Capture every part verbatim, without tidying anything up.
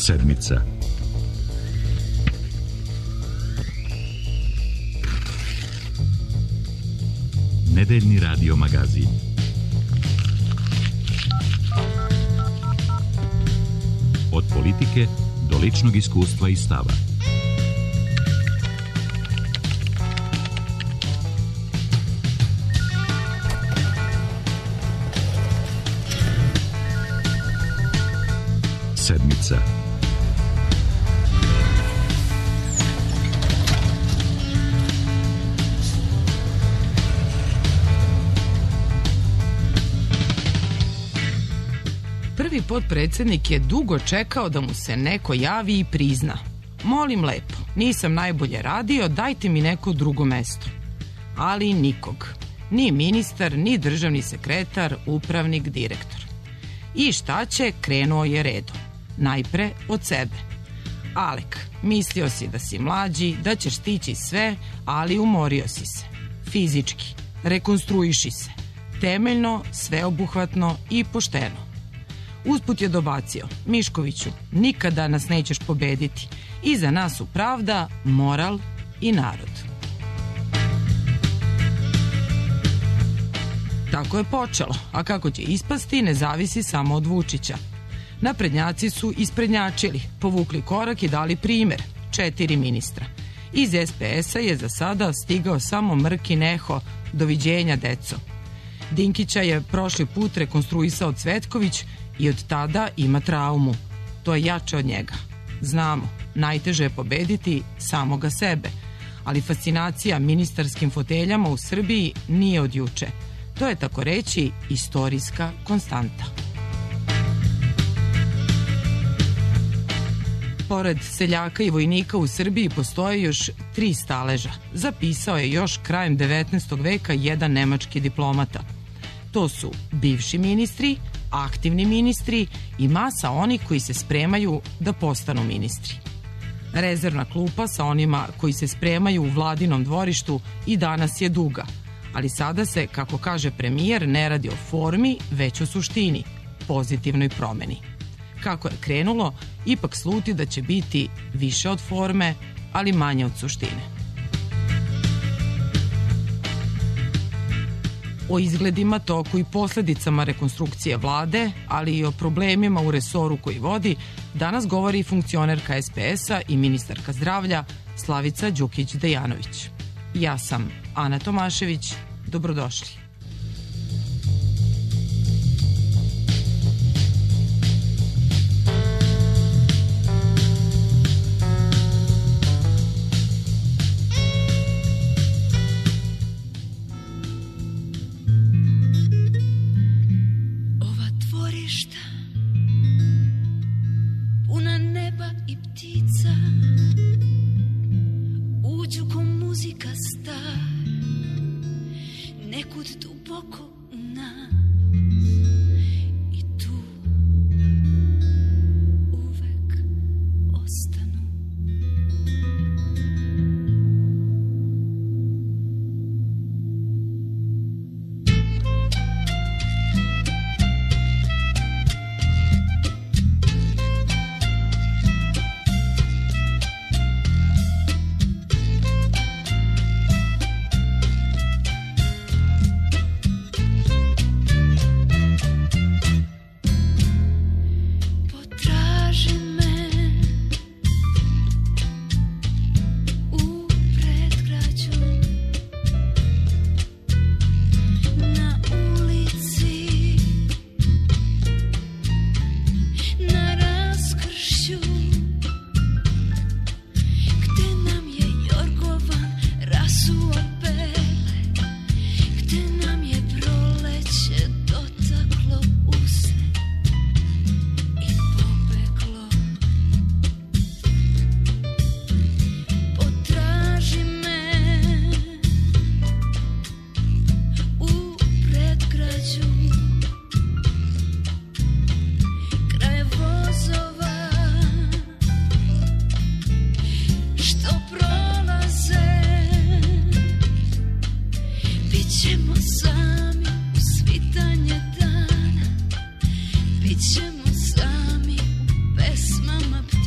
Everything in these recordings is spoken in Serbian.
Sedmica. Nedeljni radio magazin. Od politike do ličnog iskustva i stava. Sedmica. Prvi potpredsjednik je dugo čekao da mu se neko javi i prizna. Molim lepo, nisam najbolje radio, dajte mi neko drugo mesto. Ali nikog. Ni ministar, ni državni sekretar, upravnik, direktor. I šta će, krenuo je redom. Najpre od sebe. Alek, mislio si da si mlađi, da ćeš stići sve, ali umorio si se. Fizički. Rekonstruiši se. Temeljno, sveobuhvatno i pošteno. Usput je dobacio, Miškoviću, nikada nas nećeš pobediti. Iza nas su pravda, moral i narod. Tako je počelo, a kako će ispasti ne zavisi samo od Vučića. Naprednjaci su isprednjačili, povukli korak i dali primer, četiri ministra. Iz es pe es a je za sada stigao samo mrki neho, doviđenja deco. Dinkića je prošli put rekonstruisao Cvetković i od tada ima traumu. To je jače od njega. Znamo, najteže je pobediti samoga sebe, ali fascinacija ministarskim foteljama u Srbiji nije od juče. To je tako reći istorijska konstanta. Pored seljaka i vojnika u Srbiji postoje još tri staleža. Zapisao je još krajem devetnaestog veka jedan nemački diplomata. To su bivši ministri, aktivni ministri i masa onih koji se spremaju da postanu ministri. Rezervna klupa sa onima koji se spremaju u vladinom dvorištu i danas je duga, ali sada se, kako kaže premijer, ne radi o formi, već o suštini, pozitivnoj promeni. Kako je krenulo, ipak sluti da će biti više od forme, ali manje od suštine. O izgledima, toku i posljedicama rekonstrukcije vlade, ali i o problemima u resoru koji vodi, danas govori funkcionerka es pe es a i ministarka zdravlja Slavica Đukić-Dejanović. Ja sam Ana Tomašević, dobrodošli. Bićemo sami u pesmama ptica.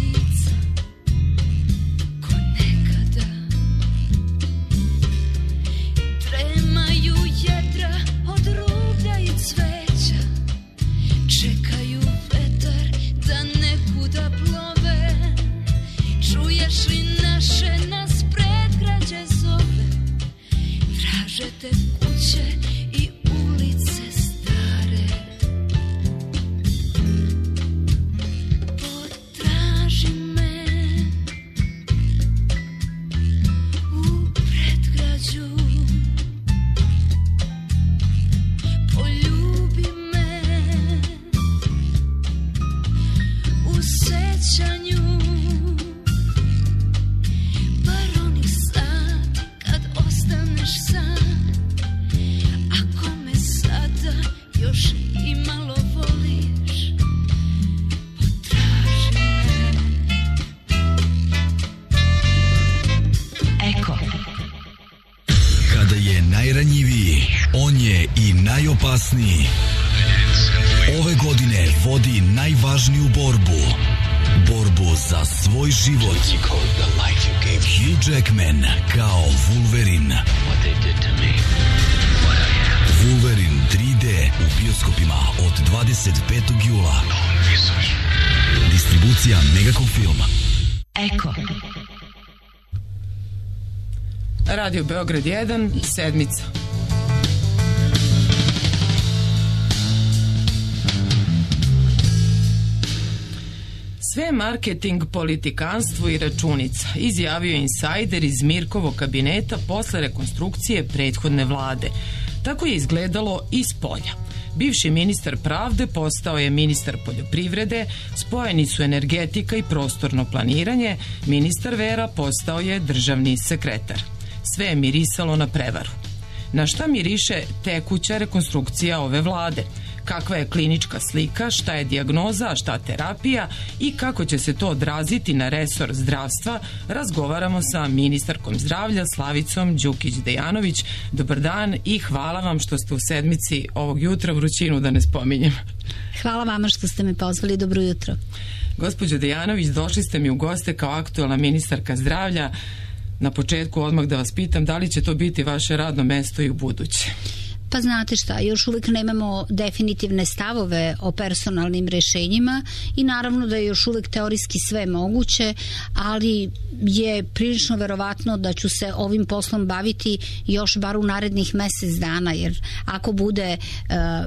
najopasniji. Ove godine vodi najvažniju borbu. Borbu za svoj život. Hugh Jackman kao Wolverine. Wolverine tri D u bioskopima od dvadeset petog jula. Distribucija Megacom Film. Eko. Radio Beograd jedan, sedmica. Sve marketing, politikanstvo i računica, izjavio insajder iz Mirkovog kabineta posle rekonstrukcije prethodne vlade. Tako je izgledalo iz polja. Bivši ministar pravde postao je ministar poljoprivrede, spojeni su energetika i prostorno planiranje, ministar vera postao je državni sekretar. Sve je mirisalo na prevaru. Na šta miriše tekuća rekonstrukcija ove vlade? Kakva je klinička slika, šta je dijagnoza, šta terapija i kako će se to odraziti na resor zdravstva, razgovaramo sa ministarkom zdravlja Slavicom Đukić-Dejanović. Dobar dan i hvala vam što ste u sedmici ovog jutra, vrućinu da ne spominjem. Hvala vama što ste me pozvali, dobro jutro. Gospođo Dejanović, došli ste mi u goste kao aktuelna ministarka zdravlja. Na početku odmah da vas pitam da li će to biti vaše radno mesto i u buduće. Pa znate šta, još uvijek nemamo definitivne stavove o personalnim rešenjima i naravno da je još uvijek teorijski sve moguće, ali je prilično verovatno da ću se ovim poslom baviti još bar u narednih mesec dana, jer ako bude e,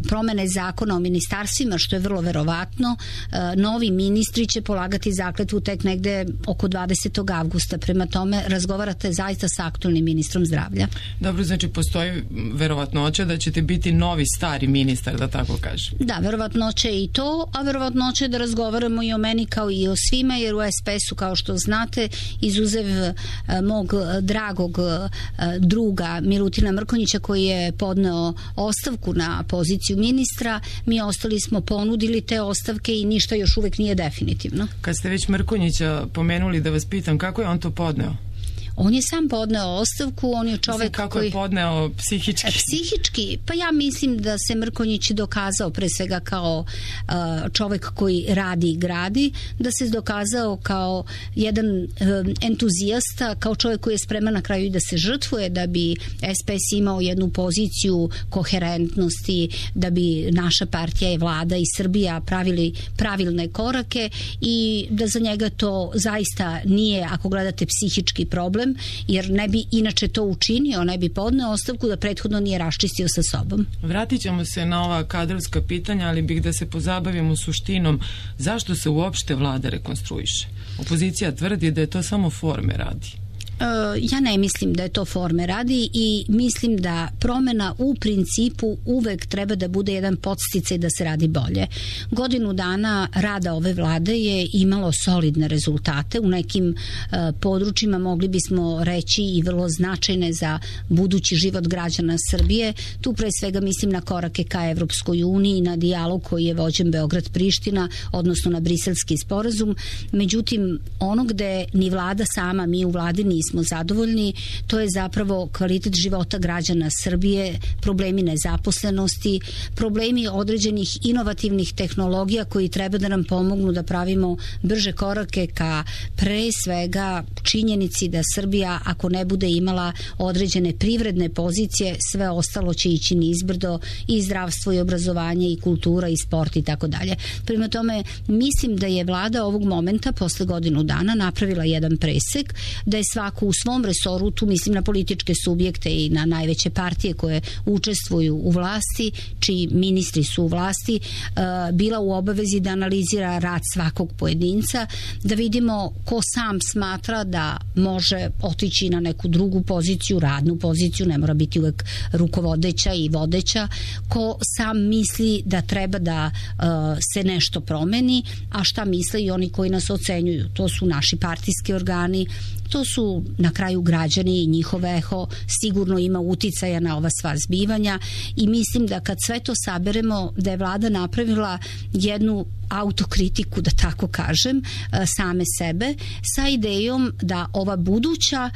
promene zakona o ministarstvima, što je vrlo verovatno, e, novi ministri će polagati zakletvu tek negde oko dvadesetog avgusta. Prema tome razgovarate zaista sa aktualnim ministrom zdravlja. Dobro, znači postoji verovatnoća da ćete biti novi stari ministar, da tako kažem. Da, verovatnoće je i to, a verovatnoće je da razgovaramo i o meni kao i o svima, jer u es pe es-u, kao što znate, izuzev mog dragog druga Milutina Mrkonjića, koji je podneo ostavku na poziciju ministra, mi ostali smo ponudili te ostavke i ništa još uvek nije definitivno. Kad ste već Mrkonjića pomenuli, da vas pitam, kako je on to podneo? On je sam podneo ostavku, on je čovek Mislim, kako koji... je podneo psihički? Psihički, pa ja mislim da se Mrkonjić dokazao pre svega kao uh, čovek koji radi i gradi, da se dokazao kao jedan um, entuzijasta, kao čovek koji je spreman na kraju i da se žrtvuje, da bi es pe es imao jednu poziciju koherentnosti, da bi naša partija i vlada i Srbija pravili pravilne korake i da za njega to zaista nije, ako gledate, psihički problem, jer ne bi inače to učinio, ne bi podneo ostavku da prethodno nije raščistio sa sobom. Vratit ćemo se na ova kadrovska pitanja, ali bih da se pozabavimo suštinom zašto se uopšte vlada rekonstruiše. Opozicija tvrdi da je to samo forme radi. Ja ne mislim da je to forme radi i mislim da promena u principu uvek treba da bude jedan podsticaj da se radi bolje. Godinu dana rada ove vlade je imalo solidne rezultate. U nekim uh, područjima mogli bismo reći i vrlo značajne za budući život građana Srbije. Tu pre svega mislim na korake ka Evropskoj uniji, na dijalog koji je vođen Beograd-Priština, odnosno na Briselski sporazum. Međutim, ono gde ni vlada sama, mi u vladi nismo smo zadovoljni, to je zapravo kvalitet života građana Srbije, problemi nezaposlenosti, problemi određenih inovativnih tehnologija koji treba da nam pomognu da pravimo brže korake ka pre svega činjenici da Srbija, ako ne bude imala određene privredne pozicije, sve ostalo će ići nizbrdo, i zdravstvo i obrazovanje i kultura i sport i tako dalje. Prema tome, mislim da je vlada ovog momenta posle godinu dana napravila jedan presek, da je svako u svom resoru, tu mislim na političke subjekte i na najveće partije koje učestvuju u vlasti, čiji ministri su u vlasti, bila u obavezi da analizira rad svakog pojedinca, da vidimo ko sam smatra da može otići na neku drugu poziciju, radnu poziciju, ne mora biti uvek rukovodeća i vodeća, ko sam misli da treba da uh, se nešto promeni, a šta misle i oni koji nas ocenjuju. To su naši partijski organi, to su na kraju građani i njihov eho sigurno ima uticaja na ova sva zbivanja, i mislim da kad sve to saberemo, da je vlada napravila jednu autokritiku, da tako kažem, same sebe, sa idejom da ova buduća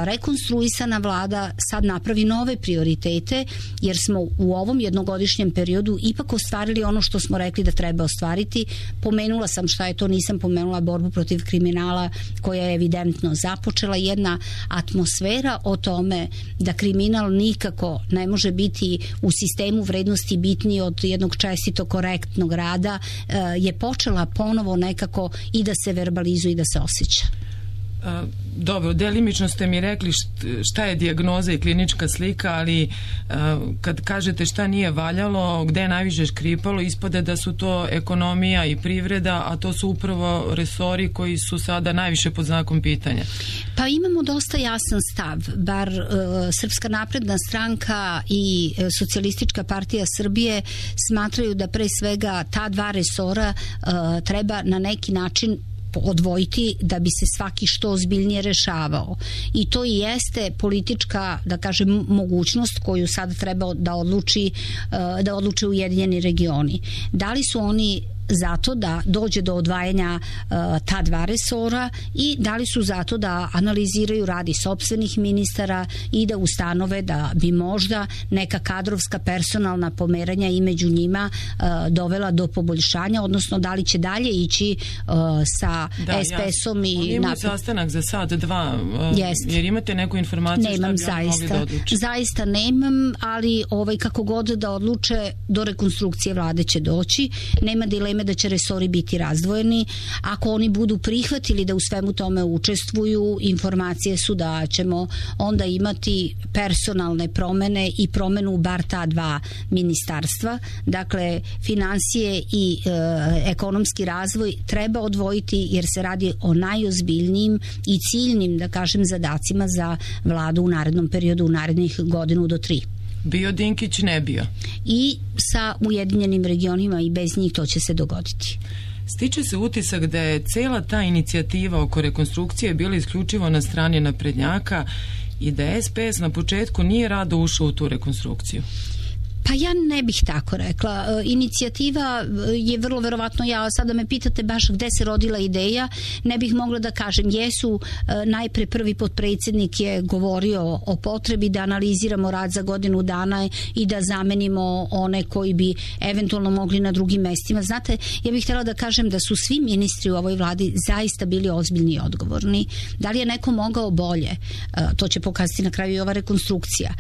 rekonstruisana vlada sad napravi nove prioritete, jer smo u ovom jednogodišnjem periodu ipak ostvarili ono što smo rekli da treba ostvariti. Pomenula sam šta je to, nisam pomenula borbu protiv kriminala koja je evidentno započela, jedna atmosfera o tome da kriminal nikako ne može biti u sistemu vrednosti bitniji od jednog čestito korektnog rada je počela ponovo nekako i da se verbalizuje i da se osjeća. Dobro, delimično ste mi rekli šta je dijagnoza i klinička slika, ali kad kažete šta nije valjalo, gde je najviše škripalo, ispade da su to ekonomija i privreda, a to su upravo resori koji su sada najviše pod znakom pitanja. Pa imamo dosta jasan stav, bar uh, Srpska napredna stranka i uh, Socijalistička partija Srbije smatraju da pre svega ta dva resora uh, treba na neki način odvojiti da bi se svaki što ozbiljnije rešavao. I to i jeste politička, da kažem, mogućnost koju sad treba da odluči, da odluče Ujedinjeni regioni. Da li su oni zato da dođe do odvajanja uh, ta dva resora i da li su zato da analiziraju radi sopstvenih ministara i da ustanove da bi možda neka kadrovska personalna pomeranja i među njima uh, dovela do poboljšanja, odnosno da li će dalje ići uh, sa da, es pe esom i... Oni imaju sastanak za sad dva, uh, jer imate neku informaciju nemam, šta bi oni mogli da odluče? Zaista nemam, ali ovaj, kako god da odluče, do rekonstrukcije vlade će doći. Nema dileme da će resori biti razdvojeni. Ako oni budu prihvatili da u svemu tome učestvuju, informacije su da ćemo onda imati personalne promene i promenu bar ta dva ministarstva. Dakle, financije i e, ekonomski razvoj treba odvojiti jer se radi o najozbiljnijim i ciljnim, da kažem, zadacima za vladu u narednom periodu, u narednih godinu do tri. Bio Dinkić, ne bio. I sa Ujedinjenim regionima i bez njih to će se dogoditi. Stiče se utisak da je cela ta inicijativa oko rekonstrukcije bila isključivo na strani naprednjaka i da es pe es na početku nije rado ušao u tu rekonstrukciju. Pa ja ne bih tako rekla. Inicijativa je vrlo verovatno, ja sada me pitate baš gde se rodila ideja, ne bih mogla da kažem. Jesu, najpre prvi potpredsjednik je govorio o potrebi da analiziramo rad za godinu dana i da zamenimo one koji bi eventualno mogli na drugim mestima. Znate, ja bih htjela da kažem da su svi ministri u ovoj vladi zaista bili ozbiljni i odgovorni. Da li je neko mogao bolje? To će pokazati na kraju i ova rekonstrukcija.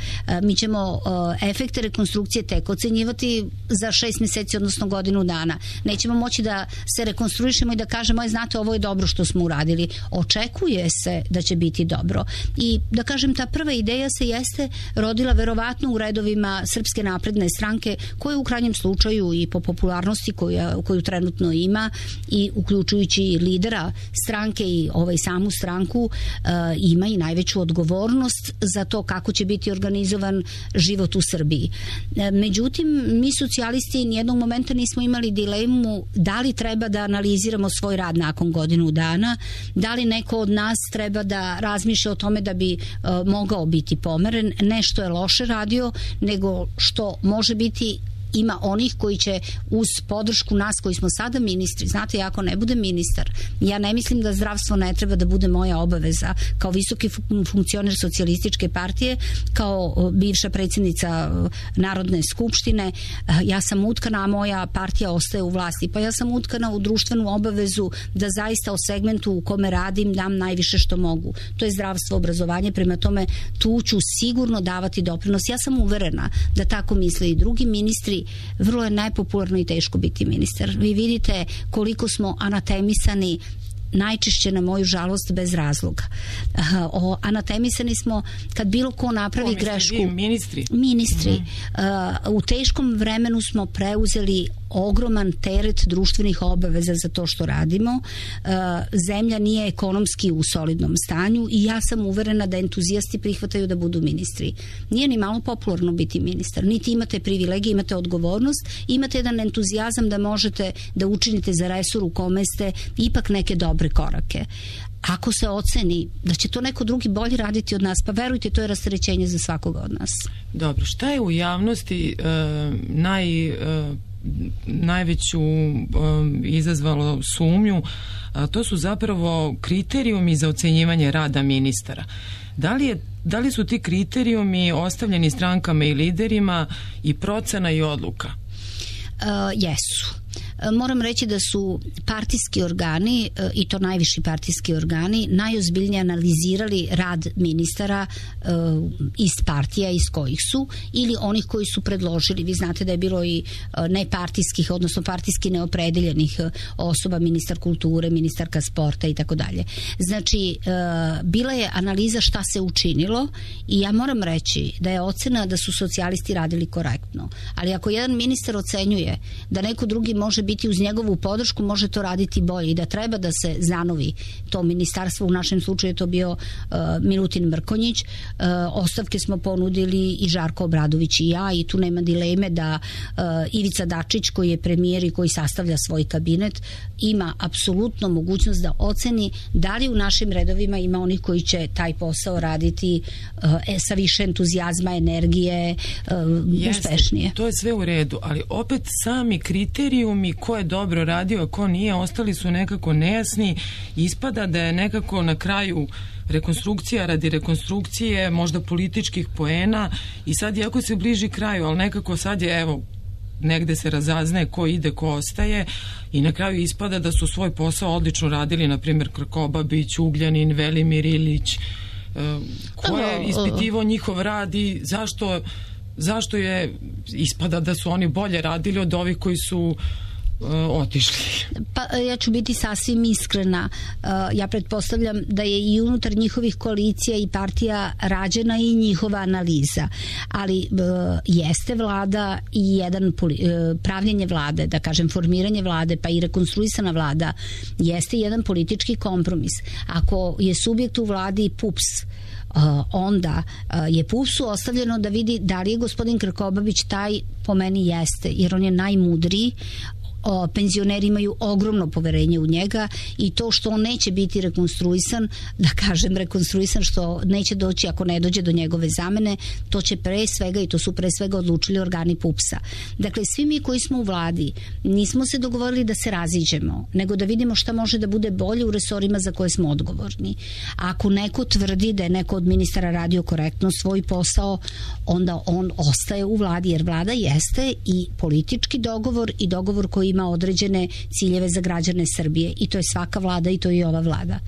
Mi ćemo efekte rekonstrukcije tek ocenjivati za šest mjeseci, odnosno godinu dana. Nećemo moći da se rekonstruišemo i da kažemo, aj znate, ovo je dobro što smo uradili. Očekuje se da će biti dobro. I da kažem, ta prva ideja se jeste rodila verovatno u redovima Srpske napredne stranke, koje u krajnjem slučaju i po popularnosti koju, koju trenutno ima i uključujući lidera stranke i ovaj samu stranku, uh, ima i najveću odgovornost za to kako će biti organizovan život u Srbiji. Međutim, mi socijalisti nijednog momenta nismo imali dilemu da li treba da analiziramo svoj rad nakon godinu dana, da li neko od nas treba da razmišlja o tome da bi uh, mogao biti pomeren. Ne što je loše radio, nego što može biti ima onih koji će uz podršku nas koji smo sada ministri, znate, ja ako ne budem ministar, ja ne mislim da zdravstvo ne treba da bude moja obaveza kao visoki funkcioner socijalističke partije, kao bivša predsjednica Narodne skupštine, ja sam utkana, a moja partija ostaje u vlasti, pa ja sam utkana u društvenu obavezu da zaista o segmentu u kome radim dam najviše što mogu. To je zdravstvo, obrazovanje, prema tome tu ću sigurno davati doprinos. Ja sam uverena da tako misle i drugi ministri. Vrlo je nepopularno i teško biti ministar. Vi vidite koliko smo anatemisani, najčešće na moju žalost bez razloga. O, anatemisani smo kad bilo ko napravi o, grešku. Vi, ministri. Ministri. Mm-hmm. Uh, u teškom vremenu smo preuzeli ogroman teret društvenih obaveza za to što radimo. Uh, zemlja nije ekonomski u solidnom stanju i ja sam uverena da entuzijasti prihvataju da budu ministri. Nije ni malo popularno biti ministar. Niti imate privilegije, imate odgovornost, imate jedan entuzijazam da možete da učinite za resor u kome ste ipak neke dobre korake. Ako se oceni da će to neko drugi bolje raditi od nas, pa verujte, to je rasterećenje za svakoga od nas. Dobro, šta je u javnosti uh, naj... Uh, najveću um, izazvalo sumnju, a to su zapravo kriterijumi za ocenjivanje rada ministara. Da li je Da li su ti kriterijumi ostavljeni strankama i liderima i procena i odluka? Uh, jesu. Moram reći da su partijski organi, i to najviši partijski organi, najozbiljnije analizirali rad ministara iz partija iz kojih su ili onih koji su predložili. Vi znate da je bilo i nepartijskih, odnosno partijski neopredeljenih osoba, ministar kulture, ministarka sporta i tako dalje. Znači, bila je analiza šta se učinilo i ja moram reći da je ocena da su socijalisti radili korektno. Ali ako jedan ministar ocenjuje da neko drugi može biti uz njegovu podršku, može to raditi bolje i da treba da se zanovi to ministarstvo. U našem slučaju je to bio uh, Milutin Mrkonjić. Uh, ostavke smo ponudili i Žarko Obradović i ja i tu nema dileme da uh, Ivica Dačić, koji je premijer i koji sastavlja svoj kabinet, ima apsolutno mogućnost da oceni da li u našim redovima ima onih koji će taj posao raditi uh, sa više entuzijazma, energije, uh, Jeste, uspešnije. To je sve u redu, ali opet sami kriterijumi ko je dobro radio, a ko nije, ostali su nekako nejasni. Ispada da je nekako na kraju rekonstrukcija radi rekonstrukcije, možda političkih poena, i sad iako se bliži kraju, ali nekako sad je, evo, negde se razaznaje ko ide, ko ostaje, i na kraju ispada da su svoj posao odlično radili, na primjer Krkobabić, Ugljanin, Velimir Ilić. Ko je ispitivao njihov rad i zašto zašto je ispada da su oni bolje radili od ovih koji su uh, otišli? Pa ja ću biti sasvim iskrena. Uh, ja pretpostavljam da je i unutar njihovih koalicija i partija rađena i njihova analiza. Ali uh, jeste vlada i jedan poli, uh, pravljenje vlade, da kažem formiranje vlade, pa i rekonstruisana vlada, jeste jedan politički kompromis. Ako je subjekt u vladi P U P S, Uh, onda uh, je P U P S-u ostavljeno da vidi da li je gospodin Krkobabić taj, po meni jeste, jer on je najmudriji. O, penzioneri imaju ogromno poverenje u njega i to što on neće biti rekonstruisan, da kažem rekonstruisan, što neće doći ako ne dođe do njegove zamene, to će pre svega, i to su pre svega odlučili organi P U P S-a. Dakle, svi mi koji smo u vladi nismo se dogovorili da se raziđemo, nego da vidimo šta može da bude bolje u resorima za koje smo odgovorni. A ako neko tvrdi da je neko od ministara radio korektno svoj posao, onda on ostaje u vladi, jer vlada jeste i politički dogovor i dogovor koji ima određene ciljeve za građane Srbije, i to je svaka vlada i to je i ova vlada.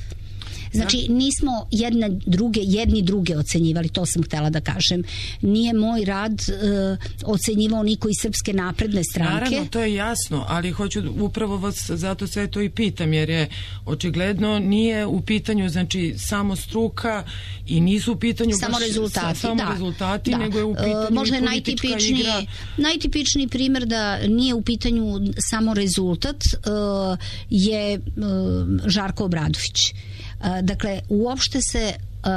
Znači, nismo jedne druge, jedni druge ocenjivali, to sam htela da kažem. Nije moj rad uh, ocenjivao niko iz Srpske napredne stranke. Naravno, to je jasno, ali hoću upravo vas zato sve to i pitam, jer je očigledno nije u pitanju, znači, samo struka i nisu u pitanju samo baš rezultati, samo da, rezultati, da. nego je u pitanju uh, možda je politička najtipičniji, igra. Najtipičniji primjer da nije u pitanju samo rezultat uh, je uh, Žarko Obradović. Dakle, uopšte se uh,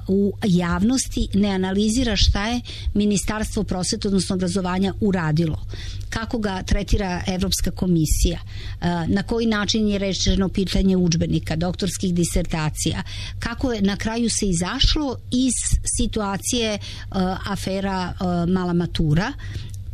u javnosti ne analizira šta je Ministarstvo prosvete, odnosno obrazovanja, uradilo. Kako ga tretira Evropska komisija, uh, na koji način je rešeno pitanje udžbenika, doktorskih disertacija, kako je na kraju se izašlo iz situacije uh, afera uh, Mala matura,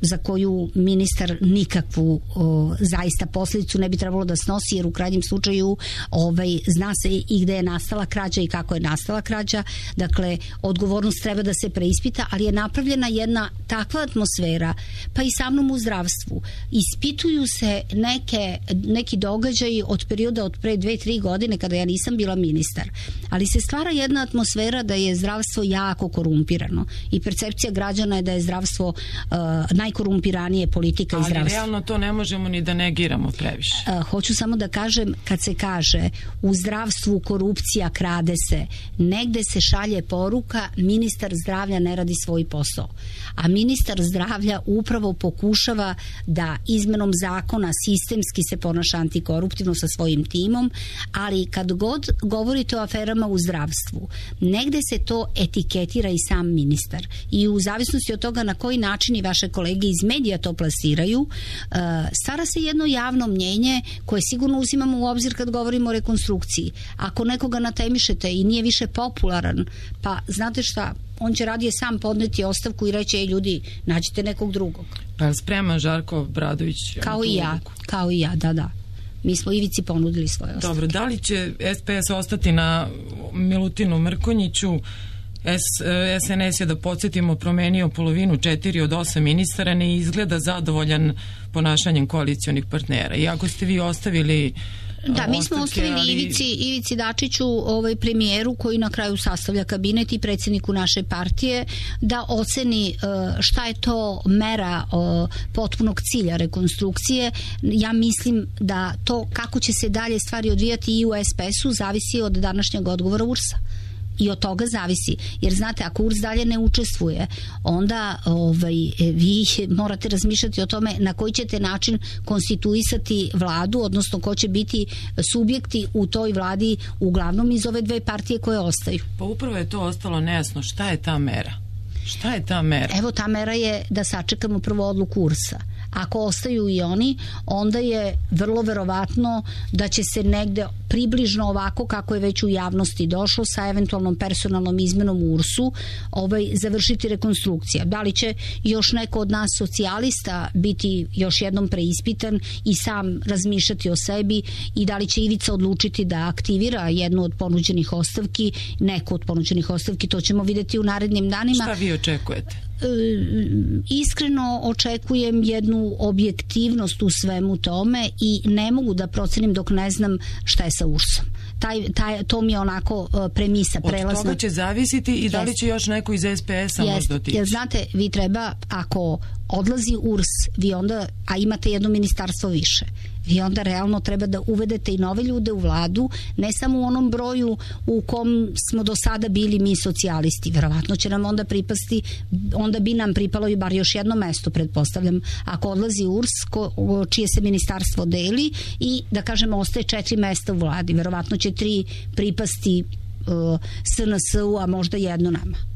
za koju ministar nikakvu o, zaista posljedicu ne bi trebalo da snosi, jer u krajnjem slučaju ovaj, zna se i gde je nastala krađa i kako je nastala krađa. Dakle, odgovornost treba da se preispita, ali je napravljena jedna takva atmosfera, pa i sa mnom u zdravstvu. Ispituju se neke, neki događaji od perioda od pre dve, tri godine kada ja nisam bila ministar, ali se stvara jedna atmosfera da je zdravstvo jako korumpirano i percepcija građana je da je zdravstvo uh, najkorumpiranije politika i zdravstva. Ali realno to ne možemo ni da negiramo previše. Uh, hoću samo da kažem, kad se kaže u zdravstvu korupcija, krade se, negde se šalje poruka ministar zdravlja ne radi svoj posao. A ministar zdravlja upravo pokušava da izmenom zakona sistemski se ponaša antikoruptivno sa svojim timom, ali kad god govorite o aferama u zdravstvu, negde se to etiketira i sam ministar. I u zavisnosti od toga na koji način i vaše kolege kolege iz medija to plasiraju, stvara se jedno javno mnjenje koje sigurno uzimamo u obzir kad govorimo o rekonstrukciji. Ako nekoga natemišete i nije više popularan, pa znate šta, on će radije sam podneti ostavku i reći, ej ljudi, nađite nekog drugog. Pa spreman Žarko Obradović? Kao i ja, kao i ja, da, da. Mi smo Ivici ponudili svoje ostavke. Dobro, da li će S P S ostati na Milutinu Mrkonjiću? S, SNS je, da podsjetimo, promenio polovinu četiri od osam ministara, ne izgleda zadovoljan ponašanjem koalicionih partnera. I ako ste vi ostavili Da, mi smo ostavili ali... Ivici, Ivici Dačiću, ovaj premijeru koji na kraju sastavlja kabinet i predsjedniku naše partije, da oceni šta je to mera potpunog cilja rekonstrukcije. Ja mislim da to kako će se dalje stvari odvijati i u S P S-u zavisi od današnjeg odgovora U R S-a. I od toga zavisi, jer znate, ako U R S dalje ne učestvuje, onda ovaj, vi morate razmišljati o tome na koji ćete način konstituisati vladu, odnosno ko će biti subjekti u toj vladi, uglavnom iz ove dve partije koje ostaju. Pa upravo je to ostalo nejasno. Šta je ta mera? Šta je ta mera? Evo, ta mera je da sačekamo prvo odluku U R S-a. Ako ostaju i oni, onda je vrlo verovatno da će se negde približno ovako kako je već u javnosti došlo sa eventualnom personalnom izmenom u U R S-u ovaj, završiti rekonstrukcija. Da li će još neko od nas socijalista biti još jednom preispitan i sam razmišljati o sebi i da li će Ivica odlučiti da aktivira jednu od ponuđenih ostavki, neku od ponuđenih ostavki, to ćemo vidjeti u narednim danima. Šta vi očekujete? Iskreno očekujem jednu objektivnost u svemu tome i ne mogu da procenim dok ne znam šta je sa U R S-om. Taj, taj, to mi je onako premisa, prelazna. Od toga će zavisiti i da li će još neko iz S P S-a možda otići. Jer znate, vi treba, ako odlazi U R S, vi onda, a imate jedno ministarstvo više, vi onda realno treba da uvedete i nove ljude u vladu, ne samo u onom broju u kom smo do sada bili mi socijalisti. Verovatno će nam onda pripasti, onda bi nam pripalo i bar još jedno mesto, pretpostavljam, ako odlazi U R S, ko, čije se ministarstvo deli i, da kažemo, ostaje četiri mesta u vladi. Verovatno će tri pripasti uh, S N S-u, a možda jedno nama.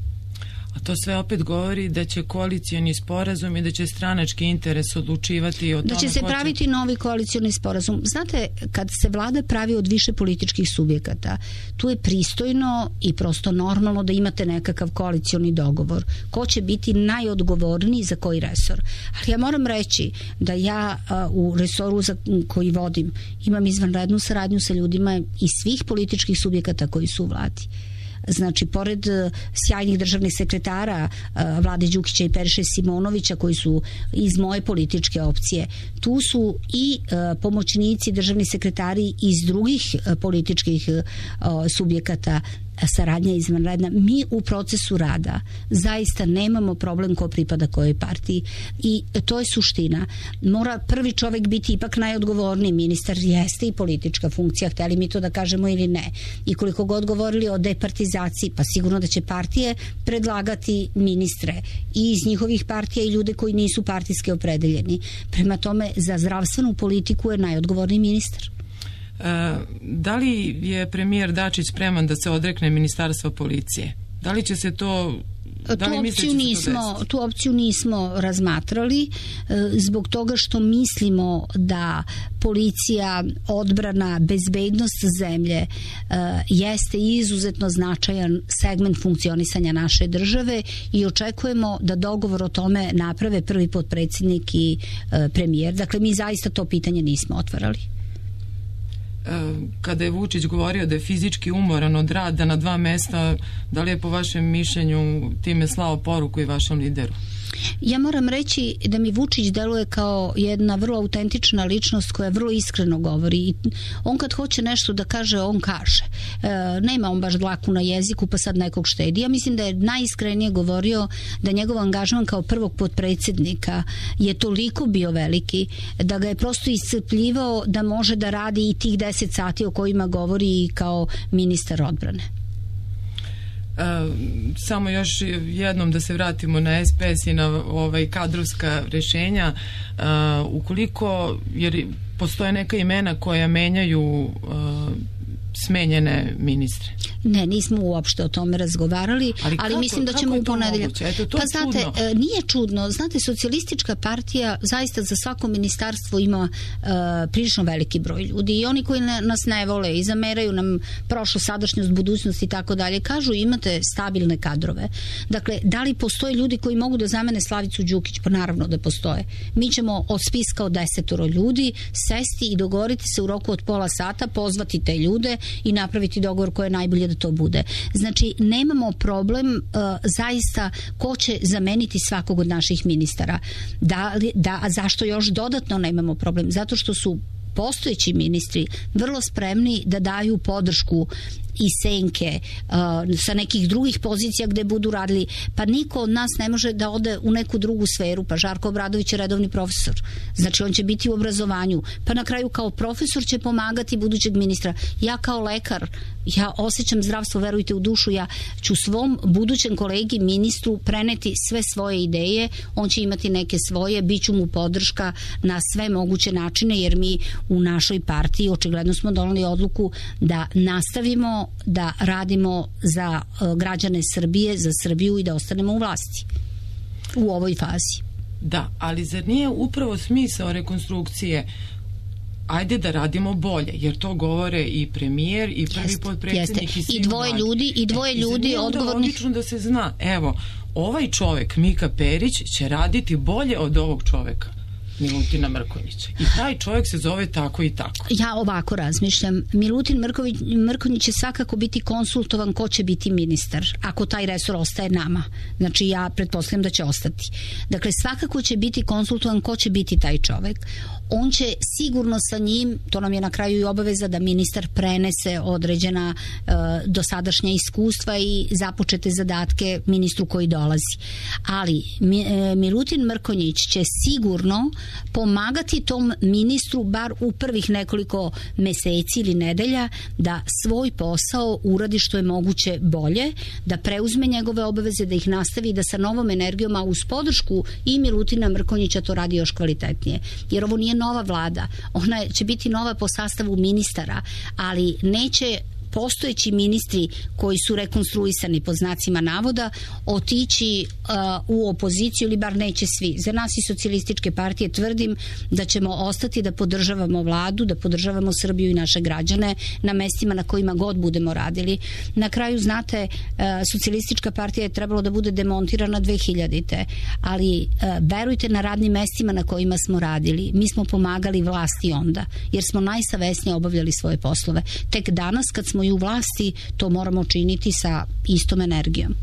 A to sve opet govori da će koalicioni sporazum i da će stranački interes odlučivati o tome. Da će se praviti će... novi koalicioni sporazum. Znate, kad se vlada pravi od više političkih subjekata, tu je pristojno i prosto normalno da imate nekakav koalicioni dogovor. Ko će biti najodgovorniji za koji resor. Ali ja moram reći da ja a, u resoru za koji vodim imam izvanrednu saradnju sa ljudima iz svih političkih subjekata koji su u vladi. Znači, pored sjajnih državnih sekretara Vlade Đukića i Periše Simonovića koji su iz moje političke opcije, tu su i pomoćnici državni sekretari iz drugih političkih subjekata. Saradnja izvanredna. Mi u procesu rada zaista nemamo problem ko pripada kojoj partiji i to je suština. Mora prvi čovjek biti ipak najodgovorniji. Ministar jeste i politička funkcija, hteli mi to da kažemo ili ne. I koliko god govorili o departizaciji, pa sigurno da će partije predlagati ministre i iz njihovih partija i ljude koji nisu partijski opredeljeni. Prema tome, za zdravstvenu politiku je najodgovorniji ministar. Da li je premijer Dačić spreman da se odrekne ministarstva policije? Da li će se to... Da li tu, opciju nismo, tu opciju nismo razmatrali zbog toga što mislimo da policija, odbrana, bezbednost zemlje jeste izuzetno značajan segment funkcionisanja naše države i očekujemo da dogovor o tome naprave prvi potpredsjednik i premijer. Dakle, mi zaista to pitanje nismo otvarali. Kada je Vučić govorio da je fizički umoran od rada na dva mesta, da li je po vašem mišljenju time slao poruku i vašem lideru? Ja moram reći da mi Vučić deluje kao jedna vrlo autentična ličnost koja vrlo iskreno govori i on kad hoće nešto da kaže, on kaže. E, nema on baš dlaku na jeziku pa sad nekog štedi. Ja mislim da je najiskrenije govorio da njegov angažman kao prvog potpredsjednika je toliko bio veliki da ga je prosto iscrpljivao da može da radi i tih deset sati o kojima govori i kao ministar odbrane. Uh, samo još jednom da se vratimo na S P S i na ovaj kadrovska rješenja. Uh, ukoliko, jer postoje neka imena koja menjaju uh, smenjene ministre? Ne, nismo uopšte o tome razgovarali, ali, ali kako, mislim da ćemo u ponedeljak. Pa znate, čudno. Nije čudno. Znate, socijalistička partija zaista za svako ministarstvo ima uh, prilično veliki broj ljudi i oni koji ne, nas ne vole i zameraju nam prošlo, sadašnjost, budućnost i tako dalje, kažu imate stabilne kadrove. Dakle, da li postoje ljudi koji mogu da zamene Slavicu Đukić? Pa naravno da postoje. Mi ćemo od spiska od desetoro ljudi sesti i dogovoriti se u roku od pola sata, pozvati te ljude i napraviti dogovor koji je najbolje da to bude. Znači, nemamo problem uh, zaista ko će zameniti svakog od naših ministara. Da, da, a zašto još dodatno nemamo problem? Zato što su postojeći ministri vrlo spremni da daju podršku i senke uh, sa nekih drugih pozicija gde budu radili. Pa niko od nas ne može da ode u neku drugu sferu. Pa Žarko Obradović je redovni profesor. Znači on će biti u obrazovanju. Pa na kraju kao profesor će pomagati budućeg ministra. Ja kao lekar, ja osjećam zdravstvo, verujte u dušu, ja ću svom budućem kolegi ministru preneti sve svoje ideje, on će imati neke svoje, bit ću mu podrška na sve moguće načine, jer mi u našoj partiji očigledno smo doneli odluku da nastavimo da radimo za građane Srbije, za Srbiju i da ostanemo u vlasti u ovoj fazi. Da, ali zar nije upravo smisao rekonstrukcije ajde da radimo bolje, jer to govore i premijer i prvi jest, potpredsjednik jeste. I, i dvoje vladi. ljudi i dvoje e, ljudi i odgovornih. Logično da se zna, evo, ovaj čovek Mika Perić će raditi bolje od ovog čoveka Milutina Mrkonjića. I taj čovjek se zove tako i tako. Ja ovako razmišljam. Milutin Mrković, Mrkonjić će svakako biti konsultovan ko će biti ministar, ako taj resor ostaje nama. Znači ja pretpostavljam da će ostati. Dakle, svakako će biti konsultovan ko će biti taj čovjek. On će sigurno sa njim, to nam je na kraju i obaveza da ministar prenese određena e, dosadašnja iskustva i započete zadatke ministru koji dolazi. Ali mi, e, Milutin Mrkonjić će sigurno pomagati tom ministru bar u prvih nekoliko meseci ili nedelja da svoj posao uradi što je moguće bolje, da preuzme njegove obaveze, da ih nastavi, da sa novom energijom, a uz podršku i Milutina Mrkonjića to radi još kvalitetnije. Jer ovo nije nova vlada, ona će biti nova po sastavu ministara, ali neće postojeći ministri koji su rekonstruisani pod znacima navoda otići uh, u opoziciju, ili bar neće svi. Za nas iz socijalističke partije tvrdim da ćemo ostati da podržavamo vladu, da podržavamo Srbiju i naše građane na mestima na kojima god budemo radili. Na kraju, znate, uh, socijalistička partija je trebalo da bude demontirana dve hiljadite. ali uh, verujte, na radnim mestima na kojima smo radili, mi smo pomagali vlasti onda, jer smo najsavesnije obavljali svoje poslove. Tek danas, kad smo i u vlasti, to moramo činiti sa istom energijom.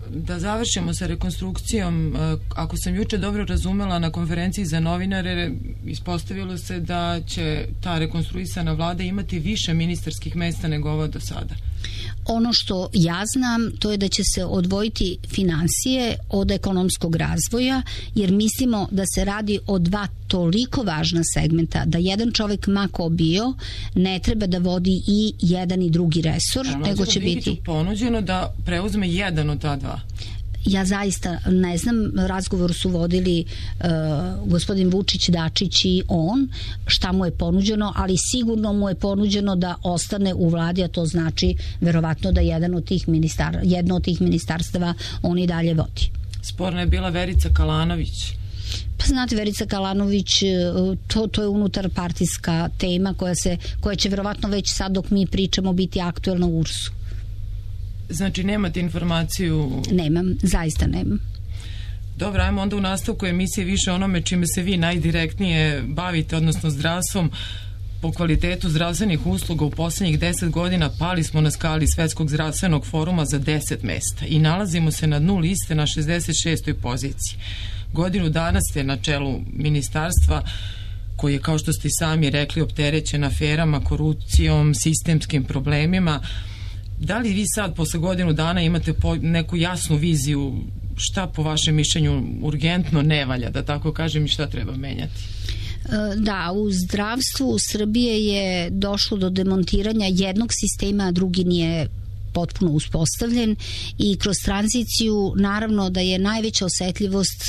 Da završimo sa rekonstrukcijom, ako sam juče dobro razumela, na konferenciji za novinare ispostavilo se da će ta rekonstruisana vlada imati više ministarskih mesta nego ovo do sada. Ono što ja znam, to je da će se odvojiti finansije od ekonomskog razvoja, jer mislimo da se radi o dva toliko važna segmenta, da jedan čovjek mako bio ne treba da vodi i jedan i drugi resor, A, nego će biti ponuđeno da preuzme jedan od ta dva. Ja zaista ne znam, razgovor su vodili uh, gospodin Vučić, Dačić i on, šta mu je ponuđeno, ali sigurno mu je ponuđeno da ostane u vladi, a to znači verovatno da jedan od tih ministar, jedno od tih ministarstava on i dalje vodi. Sporna je bila Verica Kalanović. Pa znate, Verica Kalanović, to, to je unutar partijska tema koja, se, koja će verovatno već sad dok mi pričamo biti aktuelna u U R S-u. Znači nemate informaciju? Nemam, zaista nemam. Dobro, ajmo onda u nastavku emisije više onome čime se vi najdirektnije bavite, odnosno zdravstvom. Po kvalitetu zdravstvenih usluga u poslednjih deset godina pali smo na skali Svetskog zdravstvenog foruma za deset mesta i nalazimo se na dnu liste na šezdeset šestoj poziciji. Godinu dana ste na čelu ministarstva koji je, kao što ste sami rekli, opterećen aferama, korupcijom, sistemskim problemima. Da li vi sad, posle godinu dana, imate neku jasnu viziju šta po vašem mišljenju urgentno ne valja, da tako kažem, i šta treba menjati? Da, u zdravstvu Srbije je došlo do demontiranja jednog sistema, a drugi nije potpuno uspostavljen i kroz tranziciju naravno da je najveća osetljivost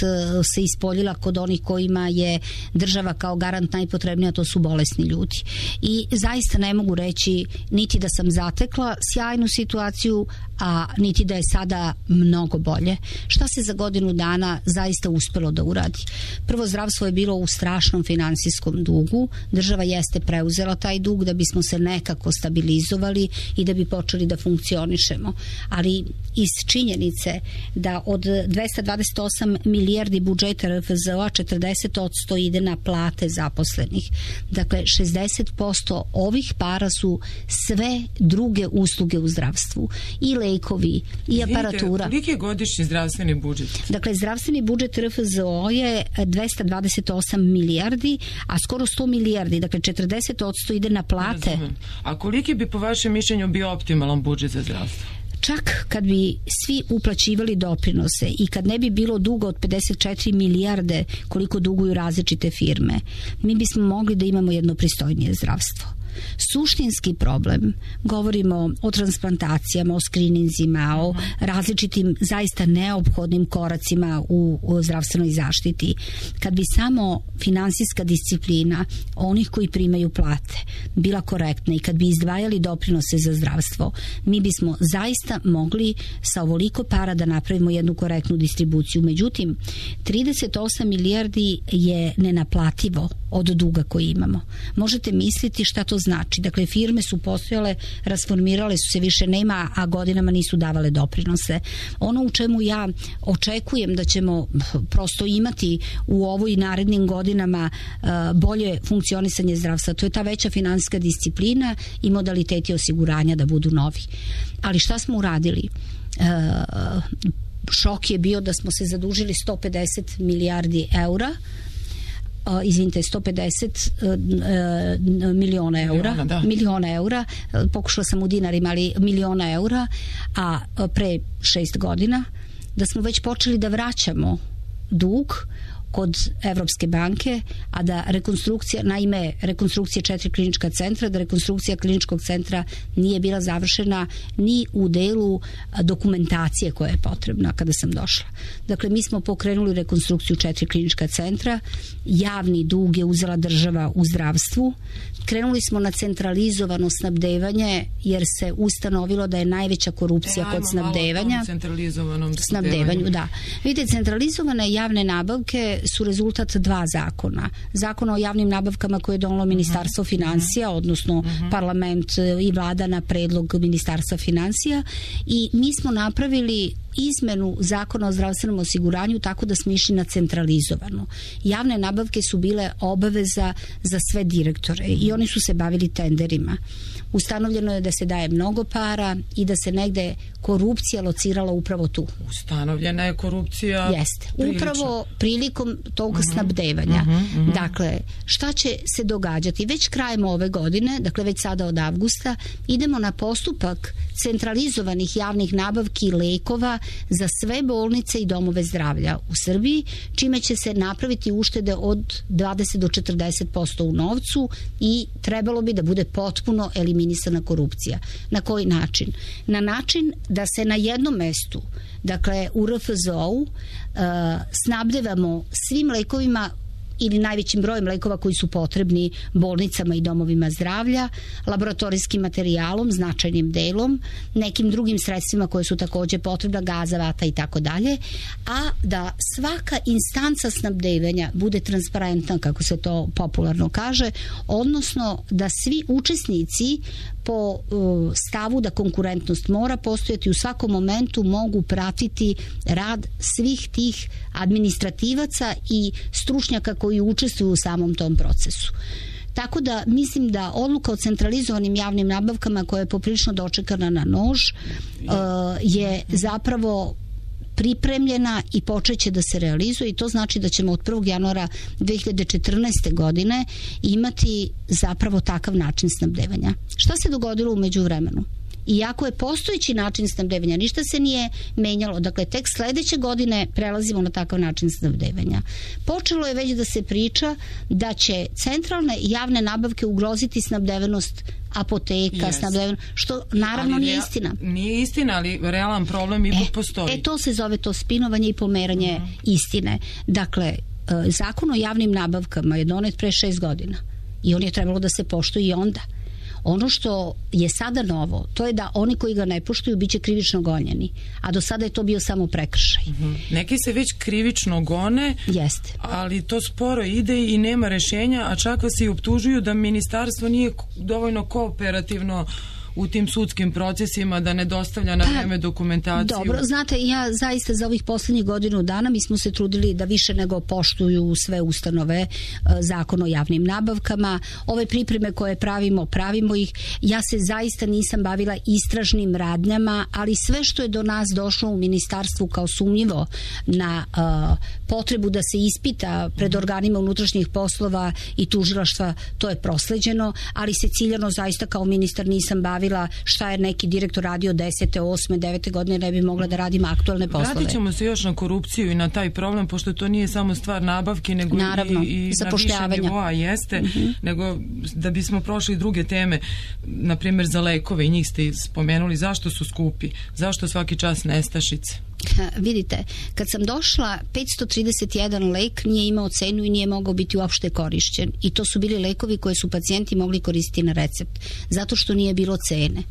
se ispoljila kod onih kojima je država kao garant najpotrebnija, to su bolesni ljudi. I zaista ne mogu reći niti da sam zatekla sjajnu situaciju, a niti da je sada mnogo bolje. Šta se za godinu dana zaista uspelo da uradi? Prvo, zdravstvo je bilo u strašnom finansijskom dugu. Država jeste preuzela taj dug da bismo se nekako stabilizovali i da bi počeli da funkcionišemo. Ali iz činjenice da od dvesta dvadeset osam milijardi budžeta R F Z O-a četrdeset posto ide na plate zaposlenih. Dakle, šezdeset posto ovih para su sve druge usluge u zdravstvu. I lekovi, i aparatura. Koliki je godišnji zdravstveni budžet? Dakle, zdravstveni budžet R F Z O je dvesta dvadeset osam milijardi, a skoro sto milijardi, dakle četrdeset posto ide na plate. Razumem. A koliki bi po vašem mišljenju bio optimalan budžet za zdravstvo? Čak kad bi svi uplaćivali doprinose i kad ne bi bilo duga od pedeset četiri milijarde koliko duguju različite firme, mi bismo mogli da imamo jedno pristojnije zdravstvo. Suštinski problem, govorimo o transplantacijama, o skrininzima, o različitim zaista neophodnim koracima u, u zdravstvenoj zaštiti. Kad bi samo finansijska disciplina onih koji primaju plate bila korektna i kad bi izdvajali doprinose za zdravstvo, mi bismo zaista mogli sa ovoliko para da napravimo jednu korektnu distribuciju. Međutim, trideset osam milijardi je nenaplativo od duga koji imamo. Možete misliti šta to znači. Dakle, firme su postojale, rasformirale su se, više nema, a godinama nisu davale doprinose. Ono u čemu ja očekujem da ćemo prosto imati u ovoj narednim godinama uh, bolje funkcionisanje zdravstva, to je ta veća finansijska disciplina i modaliteti osiguranja da budu novi. Ali šta smo uradili? Uh, šok je bio da smo se zadužili sto pedeset milijardi eura, Uh, izvinite, sto pedeset uh, uh, miliona eura, miliona, da. miliona eura, uh, pokušala sam u dinarima, ali miliona eura, a uh, pre šest godina da smo već počeli da vraćamo dug kod Evropske banke, a da rekonstrukcija, naime rekonstrukcija četiri klinička centra, da rekonstrukcija kliničkog centra nije bila završena ni u delu dokumentacije koja je potrebna kada sam došla. Dakle, mi smo pokrenuli rekonstrukciju četiri klinička centra, javni dug je uzela država u zdravstvu, krenuli smo na centralizovano snabdevanje jer se ustanovilo da je najveća korupcija e, kod snabdevanja. Centralizovanom snabdevanju, da. Vidite, centralizovane javne nabavke su rezultat dva zakona. Zakon o javnim nabavkama koje je donalo Ministarstvo financija, odnosno parlament i vlada na predlog Ministarstva financija, i mi smo napravili izmenu zakona o zdravstvenom osiguranju tako da smo išli na centralizovano. Javne nabavke su bile obaveza za sve direktore i oni su se bavili tenderima. Ustanovljeno je da se daje mnogo para i da se negde korupcija locirala upravo tu. Ustanovljena je korupcija. Jeste. Prilično. Upravo prilikom tog uh-huh. snabdevanja. Uh-huh, uh-huh. Dakle, šta će se događati? Već krajem ove godine, dakle već sada od avgusta, idemo na postupak centralizovanih javnih nabavki lekova za sve bolnice i domove zdravlja u Srbiji, čime će se napraviti uštede od dvadeset do četrdeset posto u novcu i trebalo bi da bude potpuno eliminisana korupcija. Na koji način? Na način da se na jednom mestu, dakle u R F Z O-u, uh, snabdevamo svim lekovima ili najvećim brojem lekova koji su potrebni bolnicama i domovima zdravlja, laboratorijskim materijalom, značajnim delom, nekim drugim sredstvima koje su takođe potrebna, gaza, vata i tako dalje, a da svaka instanca snabdevanja bude transparentna, kako se to popularno kaže, odnosno da svi učesnici po uh, stavu da konkurentnost mora postojati u svakom momentu mogu pratiti rad svih tih administrativaca i stručnjaka koji učestvuju u samom tom procesu. Tako da mislim da odluka o centralizovanim javnim nabavkama koja je poprilično dočekana na nož uh, je zapravo pripremljena i počeće da se realizuje i to znači da ćemo od prvog januara dve hiljade četrnaeste. godine imati zapravo takav način snabdevanja. Šta se dogodilo u međuvremenu? Iako je postojeći način snabdevanja, ništa se nije menjalo. Dakle, tek sledeće godine prelazimo na takav način snabdevanja. Počelo je već da se priča da će centralne javne nabavke ugroziti snabdevenost apoteka, yes. snabdevanje, što naravno ali nije rea, istina. Nije istina, ali realan problem ipak e, postoji. E to se zove to spinovanje i pomeranje uh-huh. istine. Dakle, Zakon o javnim nabavkama je donet pre šest godina i on je trebalo da se poštuje i onda. Ono što je sada novo, to je da oni koji ga ne poštuju biće krivično gonjeni, a do sada je to bio samo prekršaj. Mm-hmm. Neki se već krivično gone, jeste, ali to sporo ide i nema rešenja, a čak vas i optužuju da ministarstvo nije dovoljno kooperativno u tim sudskim procesima, da ne dostavlja na vreme dokumentaciju. Dobro, znate, ja zaista za ovih poslednjih godinu dana mi smo se trudili da više nego poštuju sve ustanove Zakon o javnim nabavkama. Ove pripreme koje pravimo, pravimo ih. Ja se zaista nisam bavila istražnim radnjama, ali sve što je do nas došlo u ministarstvu kao sumnjivo na uh, potrebu da se ispita pred organima unutrašnjih poslova i tužilaštva, to je prosleđeno, ali se ciljano zaista kao ministar nisam bavila šta je neki direktor radio desete, osme, devete godine, ne bi mogla da radim aktualne poslove. Vratit ćemo se još na korupciju i na taj problem, pošto to nije samo stvar nabavke, nego naravno, i, i na više nivoa jeste, mm-hmm. nego da bismo prošli druge teme, na primjer za lekove, i njih ste spomenuli, zašto su skupi, zašto svaki čas nestašice? Ha, vidite, kad sam došla, petsto trideset jedan lek nije imao cenu i nije mogao biti uopšte korišćen. I to su bili lekovi koje su pacijenti mogli koristiti na recept, zato što nije bilo cene.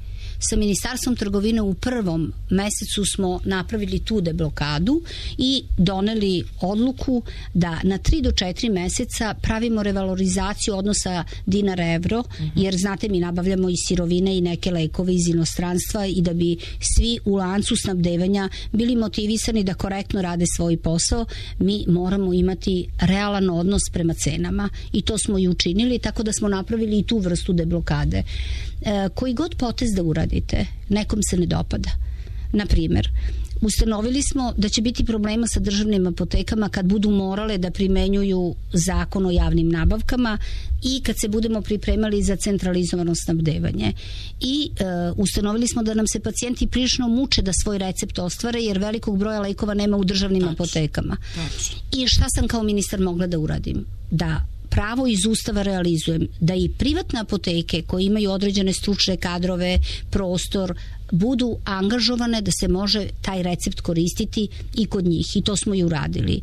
Sa Ministarstvom trgovine u prvom mesecu smo napravili tu deblokadu i doneli odluku da na tri do četiri meseca pravimo revalorizaciju odnosa dinar-evro, uh-huh. jer znate mi nabavljamo i sirovine i neke lekove iz inostranstva i da bi svi u lancu snabdevanja bili motivisani da korektno rade svoj posao, mi moramo imati realan odnos prema cenama i to smo i učinili, tako da smo napravili i tu vrstu deblokade. E, koji god potez da uradite, nekom se ne dopada. Na primjer, ustanovili smo da će biti problema sa državnim apotekama kad budu morale da primenjuju Zakon o javnim nabavkama i kad se budemo pripremali za centralizovano snabdevanje. I e, ustanovili smo da nam se pacijenti prilično muče da svoj recept ostvare jer velikog broja lekova nema u državnim Tač. apotekama. Tač. I šta sam kao ministar mogla da uradim? Da pravo iz Ustava realizujem, da i privatne apoteke koje imaju određene stručne kadrove, prostor, budu angažovane da se može taj recept koristiti i kod njih. I to smo i uradili.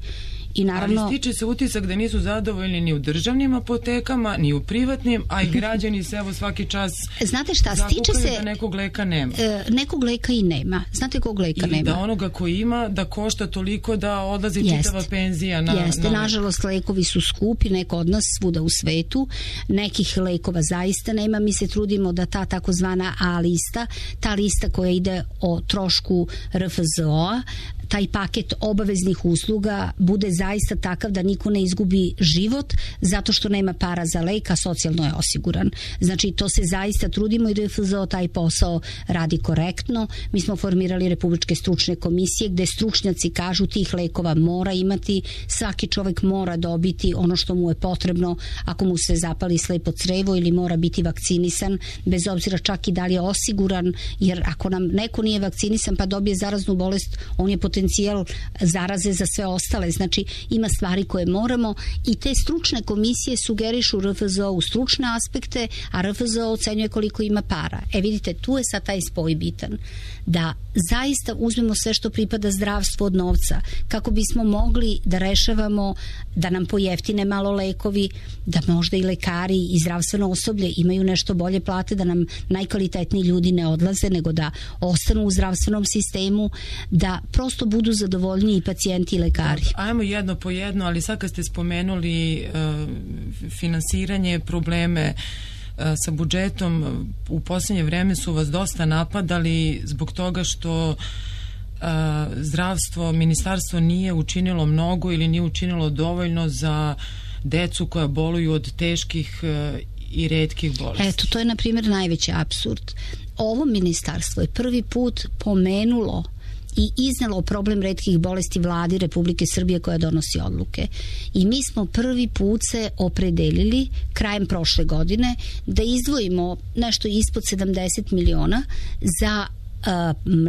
I naravno, ali stiče se utisak da nisu zadovoljni ni u državnim apotekama, ni u privatnim, a i građani se evo svaki čas znate šta, stiče se da nekog leka nema. E, nekog leka i nema. Znate kog leka ili nema? Da onoga koji ima, da košta toliko da odlazi Jest. čitava penzija na... Jeste, na nažalost lekovi su skupi, neko od nas svuda u svetu, nekih lekova zaista nema, mi se trudimo da ta takozvana A lista, ta lista koja ide o trošku R F Z O-a, taj paket obaveznih usluga bude zaista takav da niko ne izgubi život zato što nema para za lek, a socijalno je osiguran. Znači, to se zaista trudimo i R F Z O taj posao radi korektno. Mi smo formirali republičke stručne komisije gde stručnjaci kažu tih lekova mora imati, svaki čovek mora dobiti ono što mu je potrebno ako mu se zapali slepo crevo ili mora biti vakcinisan, bez obzira čak i da li je osiguran, jer ako nam neko nije vakcinisan pa dobije zaraznu bolest, on je potencijal zaraze za sve ostale. Znači, ima stvari koje moramo i te stručne komisije sugerišu R F Z O u stručne aspekte, a R F Z O ocenjuje koliko ima para. E vidite, tu je sad taj spoj bitan. Da zaista uzmemo sve što pripada zdravstvu od novca, kako bismo mogli da rešavamo, da nam pojeftine malo lekovi, da možda i lekari i zdravstveno osoblje imaju nešto bolje plate, da nam najkvalitetniji ljudi ne odlaze, nego da ostanu u zdravstvenom sistemu, da prosto budu zadovoljni i pacijenti i lekari. Ajmo jedno po jedno, ali sad kad ste spomenuli uh, finansiranje, probleme uh, sa budžetom, u posljednje vreme su vas dosta napadali zbog toga što uh, zdravstvo, ministarstvo nije učinilo mnogo ili nije učinilo dovoljno za decu koja boluju od teških uh, i retkih bolesti. Eto, to je na primjer najveći apsurd. Ovo ministarstvo je prvi put pomenulo i iznelo problem retkih bolesti vladi Republike Srbije koja donosi odluke. I mi smo prvi put se opredelili krajem prošle godine da izdvojimo nešto ispod sedamdeset miliona za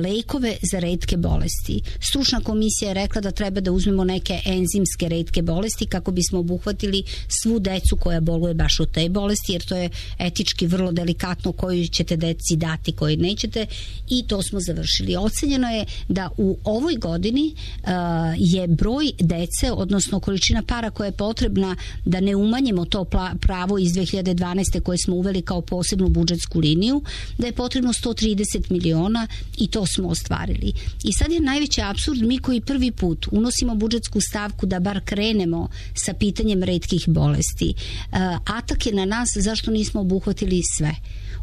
lekove za retke bolesti. Stručna komisija je rekla da treba da uzmemo neke enzimske retke bolesti kako bismo obuhvatili svu decu koja boluje baš od te bolesti, jer to je etički vrlo delikatno koju ćete deci dati, koju nećete, i to smo završili. Ocenjeno je da u ovoj godini uh, je broj dece, odnosno količina para koja je potrebna da ne umanjimo to pravo iz dve hiljade dvanaeste koje smo uveli kao posebnu budžetsku liniju, da je potrebno sto trideset miliona i to smo ostvarili. I sad je najveći apsurd, mi koji prvi put unosimo budžetsku stavku da bar krenemo sa pitanjem retkih bolesti. Uh, atak je na nas zašto nismo obuhvatili sve.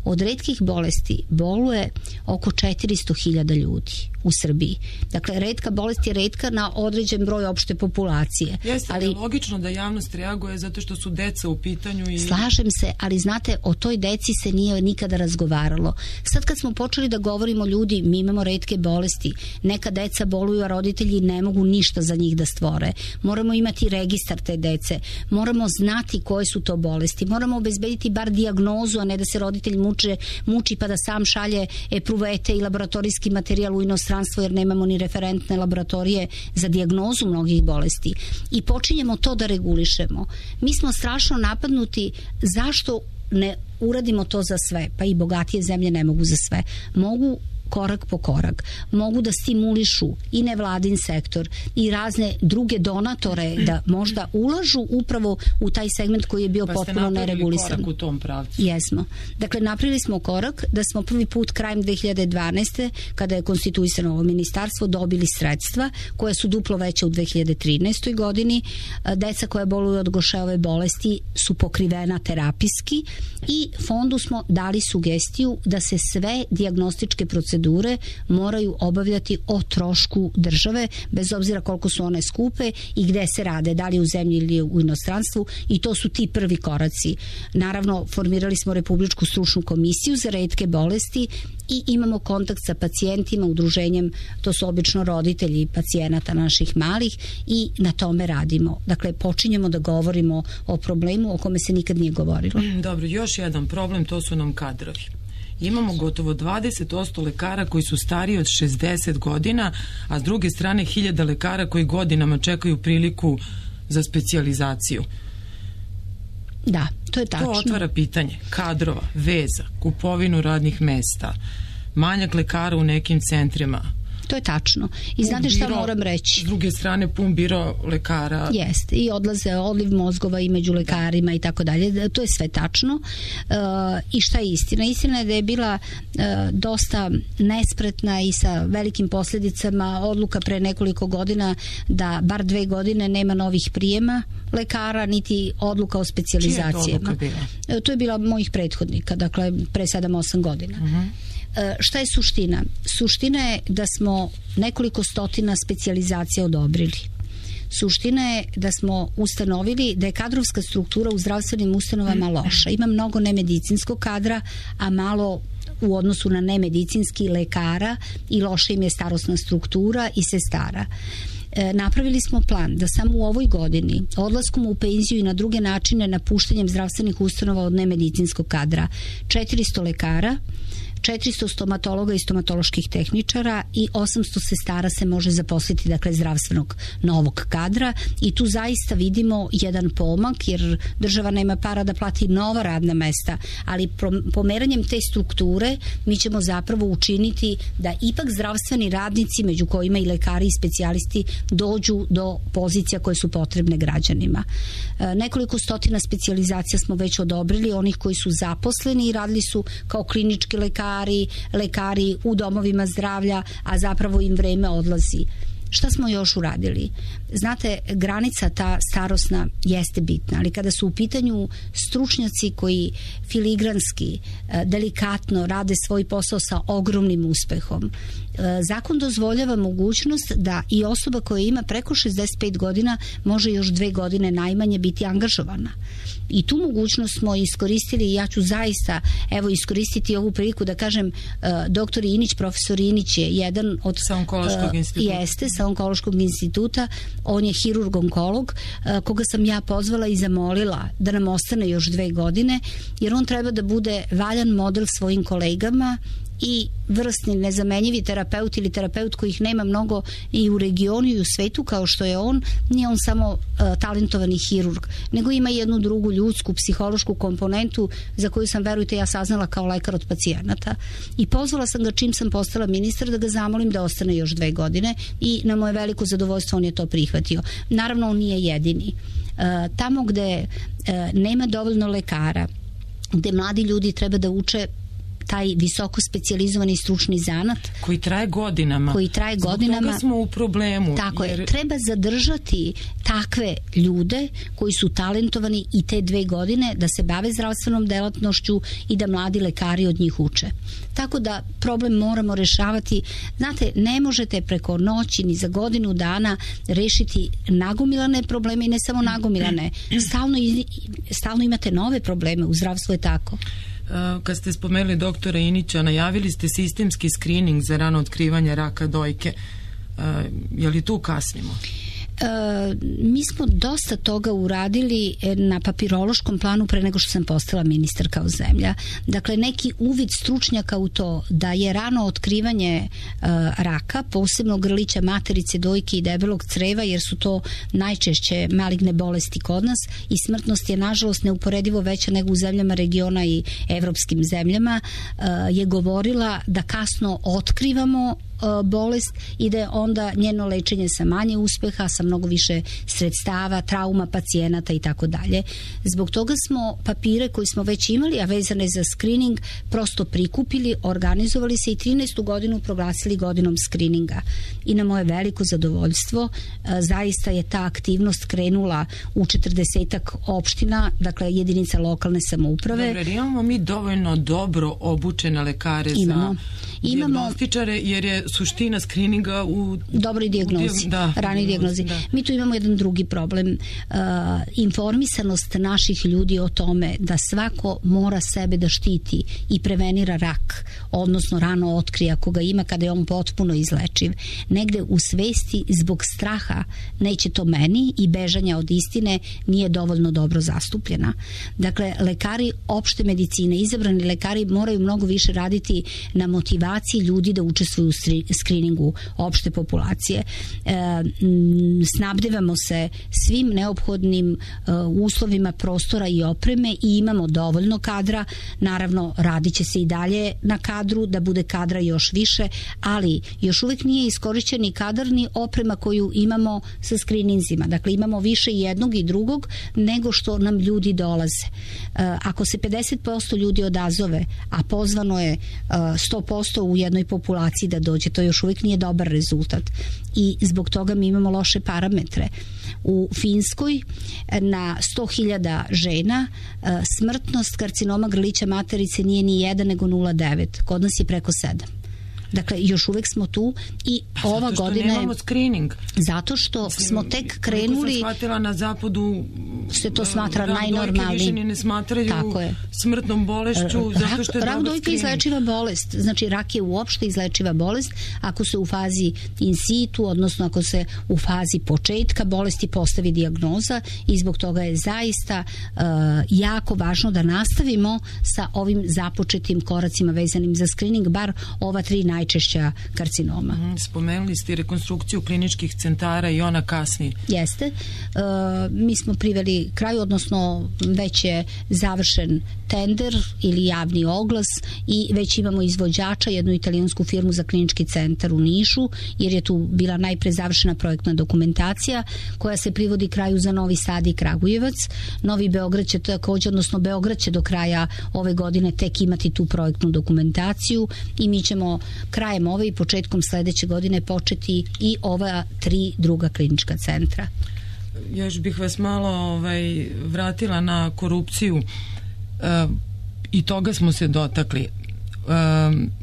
Od retkih bolesti boluje oko četiristo hiljada ljudi u Srbiji. Dakle, retka bolest je retka na određen broj opšte populacije. Jeste, ali logično da javnost reaguje zato što su deca u pitanju i... Slažem se, ali znate, o toj deci se nije nikada razgovaralo. Sad kad smo počeli da govorimo, ljudi, mi imamo retke bolesti, neka deca boluju, a roditelji ne mogu ništa za njih da stvore. Moramo imati registar te dece, moramo znati koje su to bolesti, moramo obezbediti bar dijagnozu, a ne da se roditelj muče, muči pa da sam šalje epruvete i laboratorijski materijal u inostranstvo, jer nemamo ni referentne laboratorije za dijagnozu mnogih bolesti. I počinjemo to da regulišemo. Mi smo strašno napadnuti zašto ne uradimo to za sve, pa i bogatije zemlje ne mogu za sve. Mogu korak po korak. Mogu da stimulišu i nevladin sektor i razne druge donatore da možda ulažu upravo u taj segment koji je bio pa potpuno neregulisan. Pa ste napravili korak u tom pravcu. Jesmo. Dakle, napravili smo korak da smo prvi put krajem dve hiljade dvanaeste kada je konstituisano ovo ministarstvo, dobili sredstva koja su duplo veća u dve hiljade trinaestoj godini. Deca koja boluju od Gošeove bolesti su pokrivena terapijski i fondu smo dali sugestiju da se sve dijagnostičke procedure moraju obavljati o trošku države, bez obzira koliko su one skupe i gde se rade, da li u zemlji ili u inostranstvu, i to su ti prvi koraci. Naravno, formirali smo Republičku stručnu komisiju za retke bolesti i imamo kontakt sa pacijentima, udruženjem, to su obično roditelji pacijenata naših malih, i na tome radimo. Dakle, počinjemo da govorimo o problemu o kome se nikad nije govorilo. Dobro, još jedan problem, to su nam kadrovi. Imamo gotovo dvadeset posto lekara koji su stariji od šezdeset godina, a s druge strane hiljada lekara koji godinama čekaju priliku za specijalizaciju. Da, to je tačno. To otvara pitanje kadrova, veza, kupovinu radnih mesta, manjak lekara u nekim centrima. To je tačno. I znate šta moram reći? S druge strane, pun biro lekara. Jeste. I odlaze odliv mozgova i među lekarima i tako dalje. To je sve tačno. Uh, I šta je istina? Istina je da je bila uh, dosta nespretna i sa velikim posljedicama odluka pre nekoliko godina da bar dve godine nema novih prijema lekara, niti odluka o specijalizacijama. Čija je to odluka bila? Uh, to je bila mojih prethodnika, dakle pre sedam osam godina. Uh-huh. Šta je suština? Suština je da smo nekoliko stotina specijalizacija odobrili. Suština je da smo ustanovili da je kadrovska struktura u zdravstvenim ustanovama loša. Ima mnogo nemedicinskog kadra, a malo u odnosu na nemedicinski lekara, i loša im je starosna struktura i sestara. E, napravili smo plan da samo u ovoj godini odlaskom u penziju i na druge načine napuštanjem zdravstvenih ustanova od nemedicinskog kadra četiristo lekara, četiristo stomatologa i stomatoloških tehničara i osamsto sestara se može zaposliti, dakle, zdravstvenog novog kadra, i tu zaista vidimo jedan pomak, jer država nema para da plati nova radna mesta, ali pomeranjem te strukture mi ćemo zapravo učiniti da ipak zdravstveni radnici, među kojima i lekari i specijalisti, dođu do pozicija koje su potrebne građanima. E, nekoliko stotina specijalizacija smo već odobrili, onih koji su zaposleni i radili su kao klinički lekari, lekari u domovima zdravlja, a zapravo im vreme odlazi. Šta smo još uradili? Znate, granica ta starosna jeste bitna, ali kada su u pitanju stručnjaci koji filigranski, delikatno rade svoj posao sa ogromnim uspehom, zakon dozvoljava mogućnost da i osoba koja ima preko šezdeset pet godina može još dve godine najmanje biti angažovana. I tu mogućnost smo iskoristili i ja ću zaista evo iskoristiti ovu priliku da kažem, doktor Inić, profesor Inić je jedan od... Sa onkološkog instituta. Jeste, sa onkološkog instituta. On je hirurg-onkolog, koga sam ja pozvala i zamolila da nam ostane još dve godine, jer on treba da bude valjan model svojim kolegama i vrsni nezamenjivi terapeut ili terapeut kojih nema mnogo i u regionu i u svetu kao što je on, nije on samo uh, talentovani hirurg, nego ima jednu drugu ljudsku, psihološku komponentu za koju sam, verujte, ja saznala kao lekar od pacijenata i pozvala sam ga čim sam postala ministar da ga zamolim da ostane još dve godine i na moje veliko zadovoljstvo on je to prihvatio. Naravno, on nije jedini. Uh, tamo gde uh, nema dovoljno lekara, gde mladi ljudi treba da uče taj visoko specijalizovani stručni zanat koji traje godinama. Koji traje godinama. Zbog toga smo u problemu. Tako jer... je. Treba zadržati takve ljude koji su talentovani i te dve godine da se bave zdravstvenom delatnošću i da mladi lekari od njih uče. Tako da problem moramo rešavati. Znate, ne možete preko noći ni za godinu dana rešiti nagomilane probleme i ne samo nagomilane. Stalno, stalno imate nove probleme. U zdravstvu je tako. Kad ste spomenuli doktora Inića, najavili ste sistemski screening za rano otkrivanje raka dojke. Je li tu kasnimo? E, mi smo dosta toga uradili na papirološkom planu pre nego što sam postala ministar kao zemlja. Dakle, neki uvid stručnjaka u to da je rano otkrivanje e, raka, posebno grlića materice, dojke i debelog creva, jer su to najčešće maligne bolesti kod nas i smrtnost je nažalost neuporedivo veća nego u zemljama regiona i evropskim zemljama, e, je govorila da kasno otkrivamo bolest i da je onda njeno lečenje sa manje uspeha, sa mnogo više sredstava, trauma pacijenata i tako dalje. Zbog toga smo papire koji smo već imali, a vezane za screening, prosto prikupili, organizovali se i trinaestu godinu proglasili godinom screeninga. I na moje veliko zadovoljstvo zaista je ta aktivnost krenula u četrdesetak opština, dakle jedinica lokalne samouprave. Dobre, imamo mi dovoljno dobro obučene lekare imamo. za dijagnostičare, jer je suština skrininga u dobroj dijagnozi, da, ranoj dijagnozi. Da. Mi tu imamo jedan drugi problem. Uh, informisanost naših ljudi o tome da svako mora sebe da štiti i prevenira rak, odnosno rano otkrije ako ga ima kada je on potpuno izlečiv. Negde u svesti zbog straha, neće to meni, i bežanja od istine nije dovoljno dobro zastupljena. Dakle, lekari opšte medicine, izabrani lekari moraju mnogo više raditi na motivaciji ljudi da učestvuju u skriningu opšte populacije. E, snabdevamo se svim neophodnim e, uslovima prostora i opreme i imamo dovoljno kadra. Naravno, radit će se i dalje na kadru, da bude kadra još više, ali još uvek nije iskorišćen ni kadar ni oprema koju imamo sa skrininzima. Dakle, imamo više jednog i drugog nego što nam ljudi dolaze. E, ako se pedeset posto ljudi odazove, a pozvano je e, sto posto u jednoj populaciji da dođe, to još uvijek nije dobar rezultat i zbog toga mi imamo loše parametre. U Finskoj na sto hiljada žena smrtnost karcinoma grlića materice nije ni jedan nego nula zarez devet. Kod nas je preko sedam. Dakle, još uvek smo tu i pa ova godina... godina nemamo screening. Zato što Mislim, smo tek krenuli... Koliko sam shvatila, na zapadu se to smatra najnormalnijim. Rak dojke više ne smatraju smrtnom bolešću, zato što je rak dojke je izlečiva bolest. Znači, rak je uopšte izlečiva bolest ako se u fazi in situ, odnosno ako se u fazi početka bolesti postavi dijagnoza, i zbog toga je zaista uh, jako važno da nastavimo sa ovim započetim koracima vezanim za screening, bar ova tri najčešća karcinoma. Spomenuli ste rekonstrukciju kliničkih centara i ona kasni. Jeste. E, mi smo priveli kraju, odnosno već je završen tender ili javni oglas i već imamo izvođača, jednu italijansku firmu za klinički centar u Nišu, jer je tu bila najpre završena projektna dokumentacija koja se privodi kraju za Novi Sad i Kragujevac. Novi Beograd će također, odnosno Beograd će do kraja ove godine tek imati tu projektnu dokumentaciju i mi ćemo krajem ove i početkom sledeće godine početi i ova tri druga klinička centra. Još bih vas malo ovaj, vratila na korupciju. E, i toga smo se dotakli. E,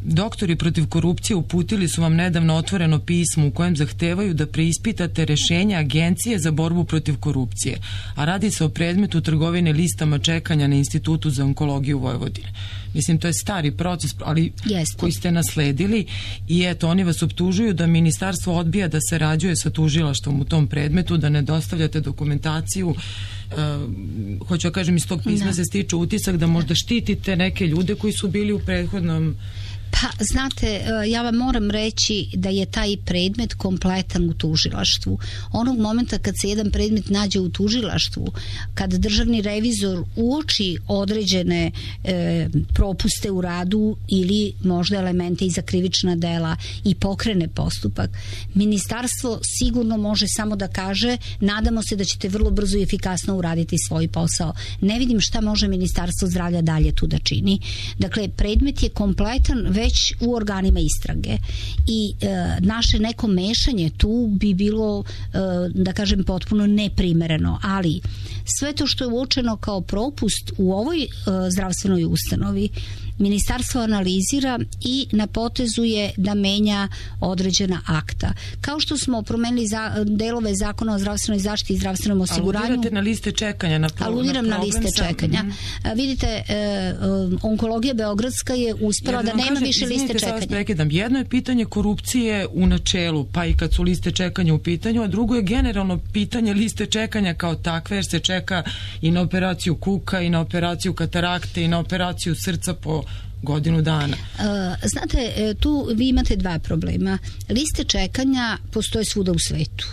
doktori protiv korupcije uputili su vam nedavno otvoreno pismo u kojem zahtevaju da preispitate rešenja Agencije za borbu protiv korupcije, a radi se o predmetu trgovine listama čekanja na Institutu za onkologiju Vojvodine. Mislim, to je stari proces, ali Jeste. koji ste nasledili, i eto, oni vas optužuju da ministarstvo odbija da se rađuje sa tužilaštvom u tom predmetu, da ne dostavljate dokumentaciju. Uh, hoću da kažem, iz tog pisma da. se stiče utisak da možda štitite neke ljude koji su bili u prethodnom Pa Pa, znate, ja vam moram reći da je taj predmet kompletan u tužilaštvu. Onog momenta kad se jedan predmet nađe u tužilaštvu, kad državni revizor uoči određene e, propuste u radu ili možda elemente iza krivična dela i pokrene postupak, ministarstvo sigurno može samo da kaže nadamo se da ćete vrlo brzo i efikasno uraditi svoj posao. Ne vidim šta može Ministarstvo zdravlja dalje tu da čini. Dakle, predmet je kompletan već u organima istrage i e, naše neko mešanje tu bi bilo, e, da kažem, potpuno neprimereno, ali sve to što je uočeno kao propust u ovoj e, zdravstvenoj ustanovi ministarstvo analizira i na potezu je da menja određena akta. Kao što smo promenili za, delove zakona o zdravstvenoj zaštiti i zdravstvenom osiguranju. Aludirate na liste čekanja. Na pro, aludiram na, na liste sam, čekanja. Mm. Vidite, e, onkologija beogradska je uspela da, da nema kažem, više liste čekanja. Prekidam. Jedno je pitanje korupcije u načelu, pa i kad su liste čekanja u pitanju, a drugo je generalno pitanje liste čekanja kao takve, jer se čeka i na operaciju kuka, i na operaciju katarakte, i na operaciju srca po godinu dana. Znate, tu vi imate dva problema. Liste čekanja postoje svuda u svetu.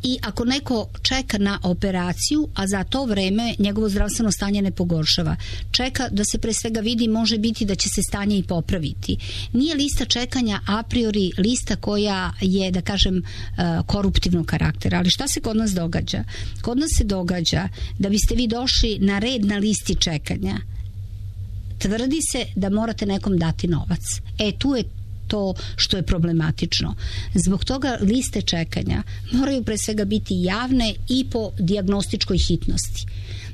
I ako neko čeka na operaciju, a za to vreme njegovo zdravstveno stanje ne pogoršava, čeka da se pre svega vidi, može biti da će se stanje i popraviti. Nije lista čekanja a priori lista koja je, da kažem, koruptivnog karaktera. Ali šta se kod nas događa? Kod nas se događa da biste vi došli na red na listi čekanja, tvrdi se da morate nekom dati novac. E, tu je to što je problematično. Zbog toga liste čekanja moraju pre svega biti javne i po dijagnostičkoj hitnosti.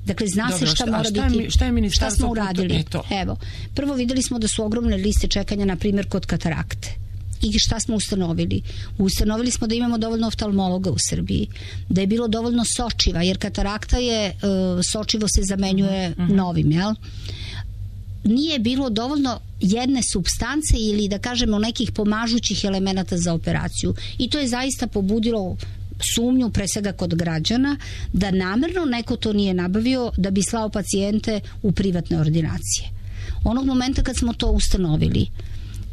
Dakle, zna Dobro, se šta, šta mora šta biti. Je, šta, je šta smo uradili? To? Evo, prvo videli smo da su ogromne liste čekanja, na primjer, kod katarakte. I šta smo ustanovili? Ustanovili smo da imamo dovoljno oftalmologa u Srbiji, da je bilo dovoljno sočiva, jer katarakta je, sočivo se zamenjuje uh-huh. novim, jel? Nije bilo dovoljno jedne supstance ili, da kažemo, nekih pomažućih elemenata za operaciju. I to je zaista pobudilo sumnju, pre svega kod građana, da namerno neko to nije nabavio da bi slao pacijente u privatne ordinacije. Onog momenta kad smo to ustanovili,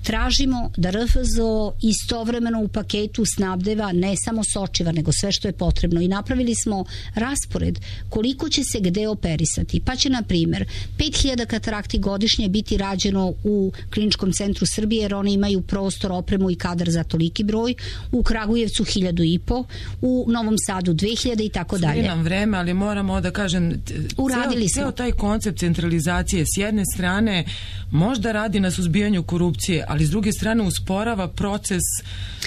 tražimo da R F Z O istovremeno u paketu snabdeva ne samo sočiva, nego sve što je potrebno. I napravili smo raspored koliko će se gde operisati. Pa će, na primjer, pet hiljada katarakti godišnje biti rađeno u Kliničkom centru Srbije, jer oni imaju prostor, opremu i kadar za toliki broj. U Kragujevcu hiljadu i po, u Novom Sadu dve hiljade i tako dalje. Sve nam vreme, ali moramo da kažem, uradili ceo, smo. Ceo taj koncept centralizacije s jedne strane možda radi na suzbijanju korupcije, ali s druge strane usporava proces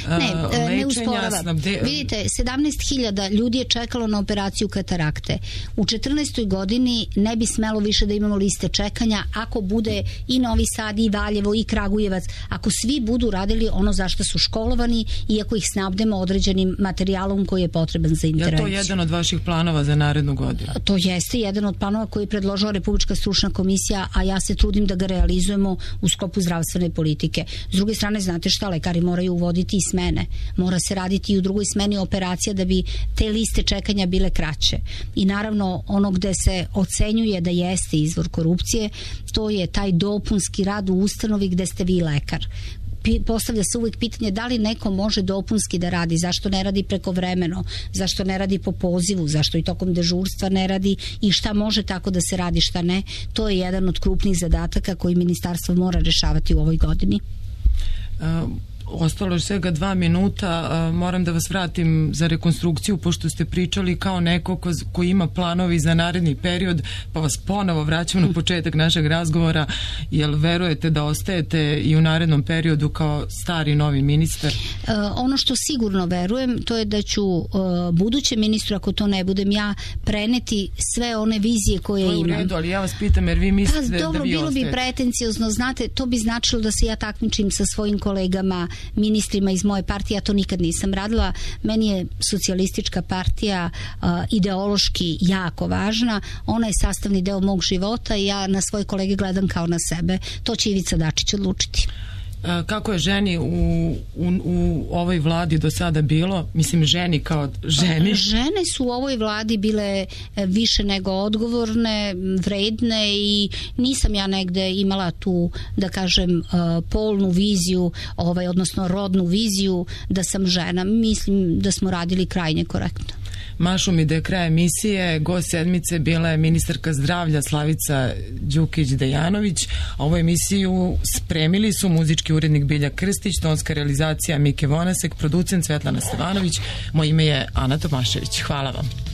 uh, ne, lečenja. Ne usporava. Snabde... Vidite, sedamnaest hiljada ljudi je čekalo na operaciju katarakte. U četrnaestoj godini ne bi smelo više da imamo liste čekanja ako bude i Novi Sad, i Valjevo, i Kragujevac, ako svi budu radili ono za što su školovani i ako ih snabdemo određenim materijalom koji je potreban za intervenciju. Je to jedan od vaših planova za narednu godinu? To jeste jedan od planova koji je predložila Republička stručna komisija, a ja se trudim da ga realizujemo u sklopu zdravstvene politike. S druge strane, znate šta, lekari moraju uvoditi i smene. Mora se raditi i u drugoj smeni operacija da bi te liste čekanja bile kraće. I naravno, ono gde se ocenjuje da jeste izvor korupcije, to je taj dopunski rad u ustanovi gde ste vi lekar. Postavlja se uvijek pitanje da li neko može dopunski da radi, zašto ne radi prekovremeno, zašto ne radi po pozivu, zašto i tokom dežurstva ne radi i šta može tako da se radi, šta ne. To je jedan od krupnih zadataka koji ministarstvo mora rešavati u ovoj godini. Uh, ostalo je svega dva minuta, uh, moram da vas vratim za rekonstrukciju, pošto ste pričali kao neko ko, ko ima planovi za naredni period, pa vas ponovo vraćam na početak našeg razgovora. Jel verujete da ostajete i u narednom periodu kao stari novi ministar? Uh, ono što sigurno verujem, to je da ću uh, budućem ministru, ako to ne budem ja, preneti sve one vizije koje imam. To je u redu, ali ja vas pitam, jer vi mislite pa, dobro, da vi bilo ostajete. Bi pretenciozno, znate, to bi značilo da se ja takmičim sa svojim kolegama ministrima iz moje partije. Ja to nikad nisam radila. Meni je socijalistička partija uh, ideološki jako važna. Ona je sastavni deo mog života i ja na svoje kolege gledam kao na sebe. To će Ivica Dačić odlučiti. Kako je ženi u, u, u ovoj vladi do sada bilo? Mislim, ženi kao ženi. Žene su u ovoj vladi bile više nego odgovorne, vredne i nisam ja negde imala tu, da kažem, polnu viziju, ovaj, odnosno rodnu viziju da sam žena. Mislim da smo radili krajnje korektno. Mašu mi da je kraj emisije. Gost sedmice bila je ministarka zdravlja Slavica Đukić-Dejanović. Ovu emisiju spremili su muzički urednik Bilja Krstić, tonska realizacija Mike Vonasek, producent Svetlana Stevanović. Moje ime je Ana Tomašević. Hvala vam.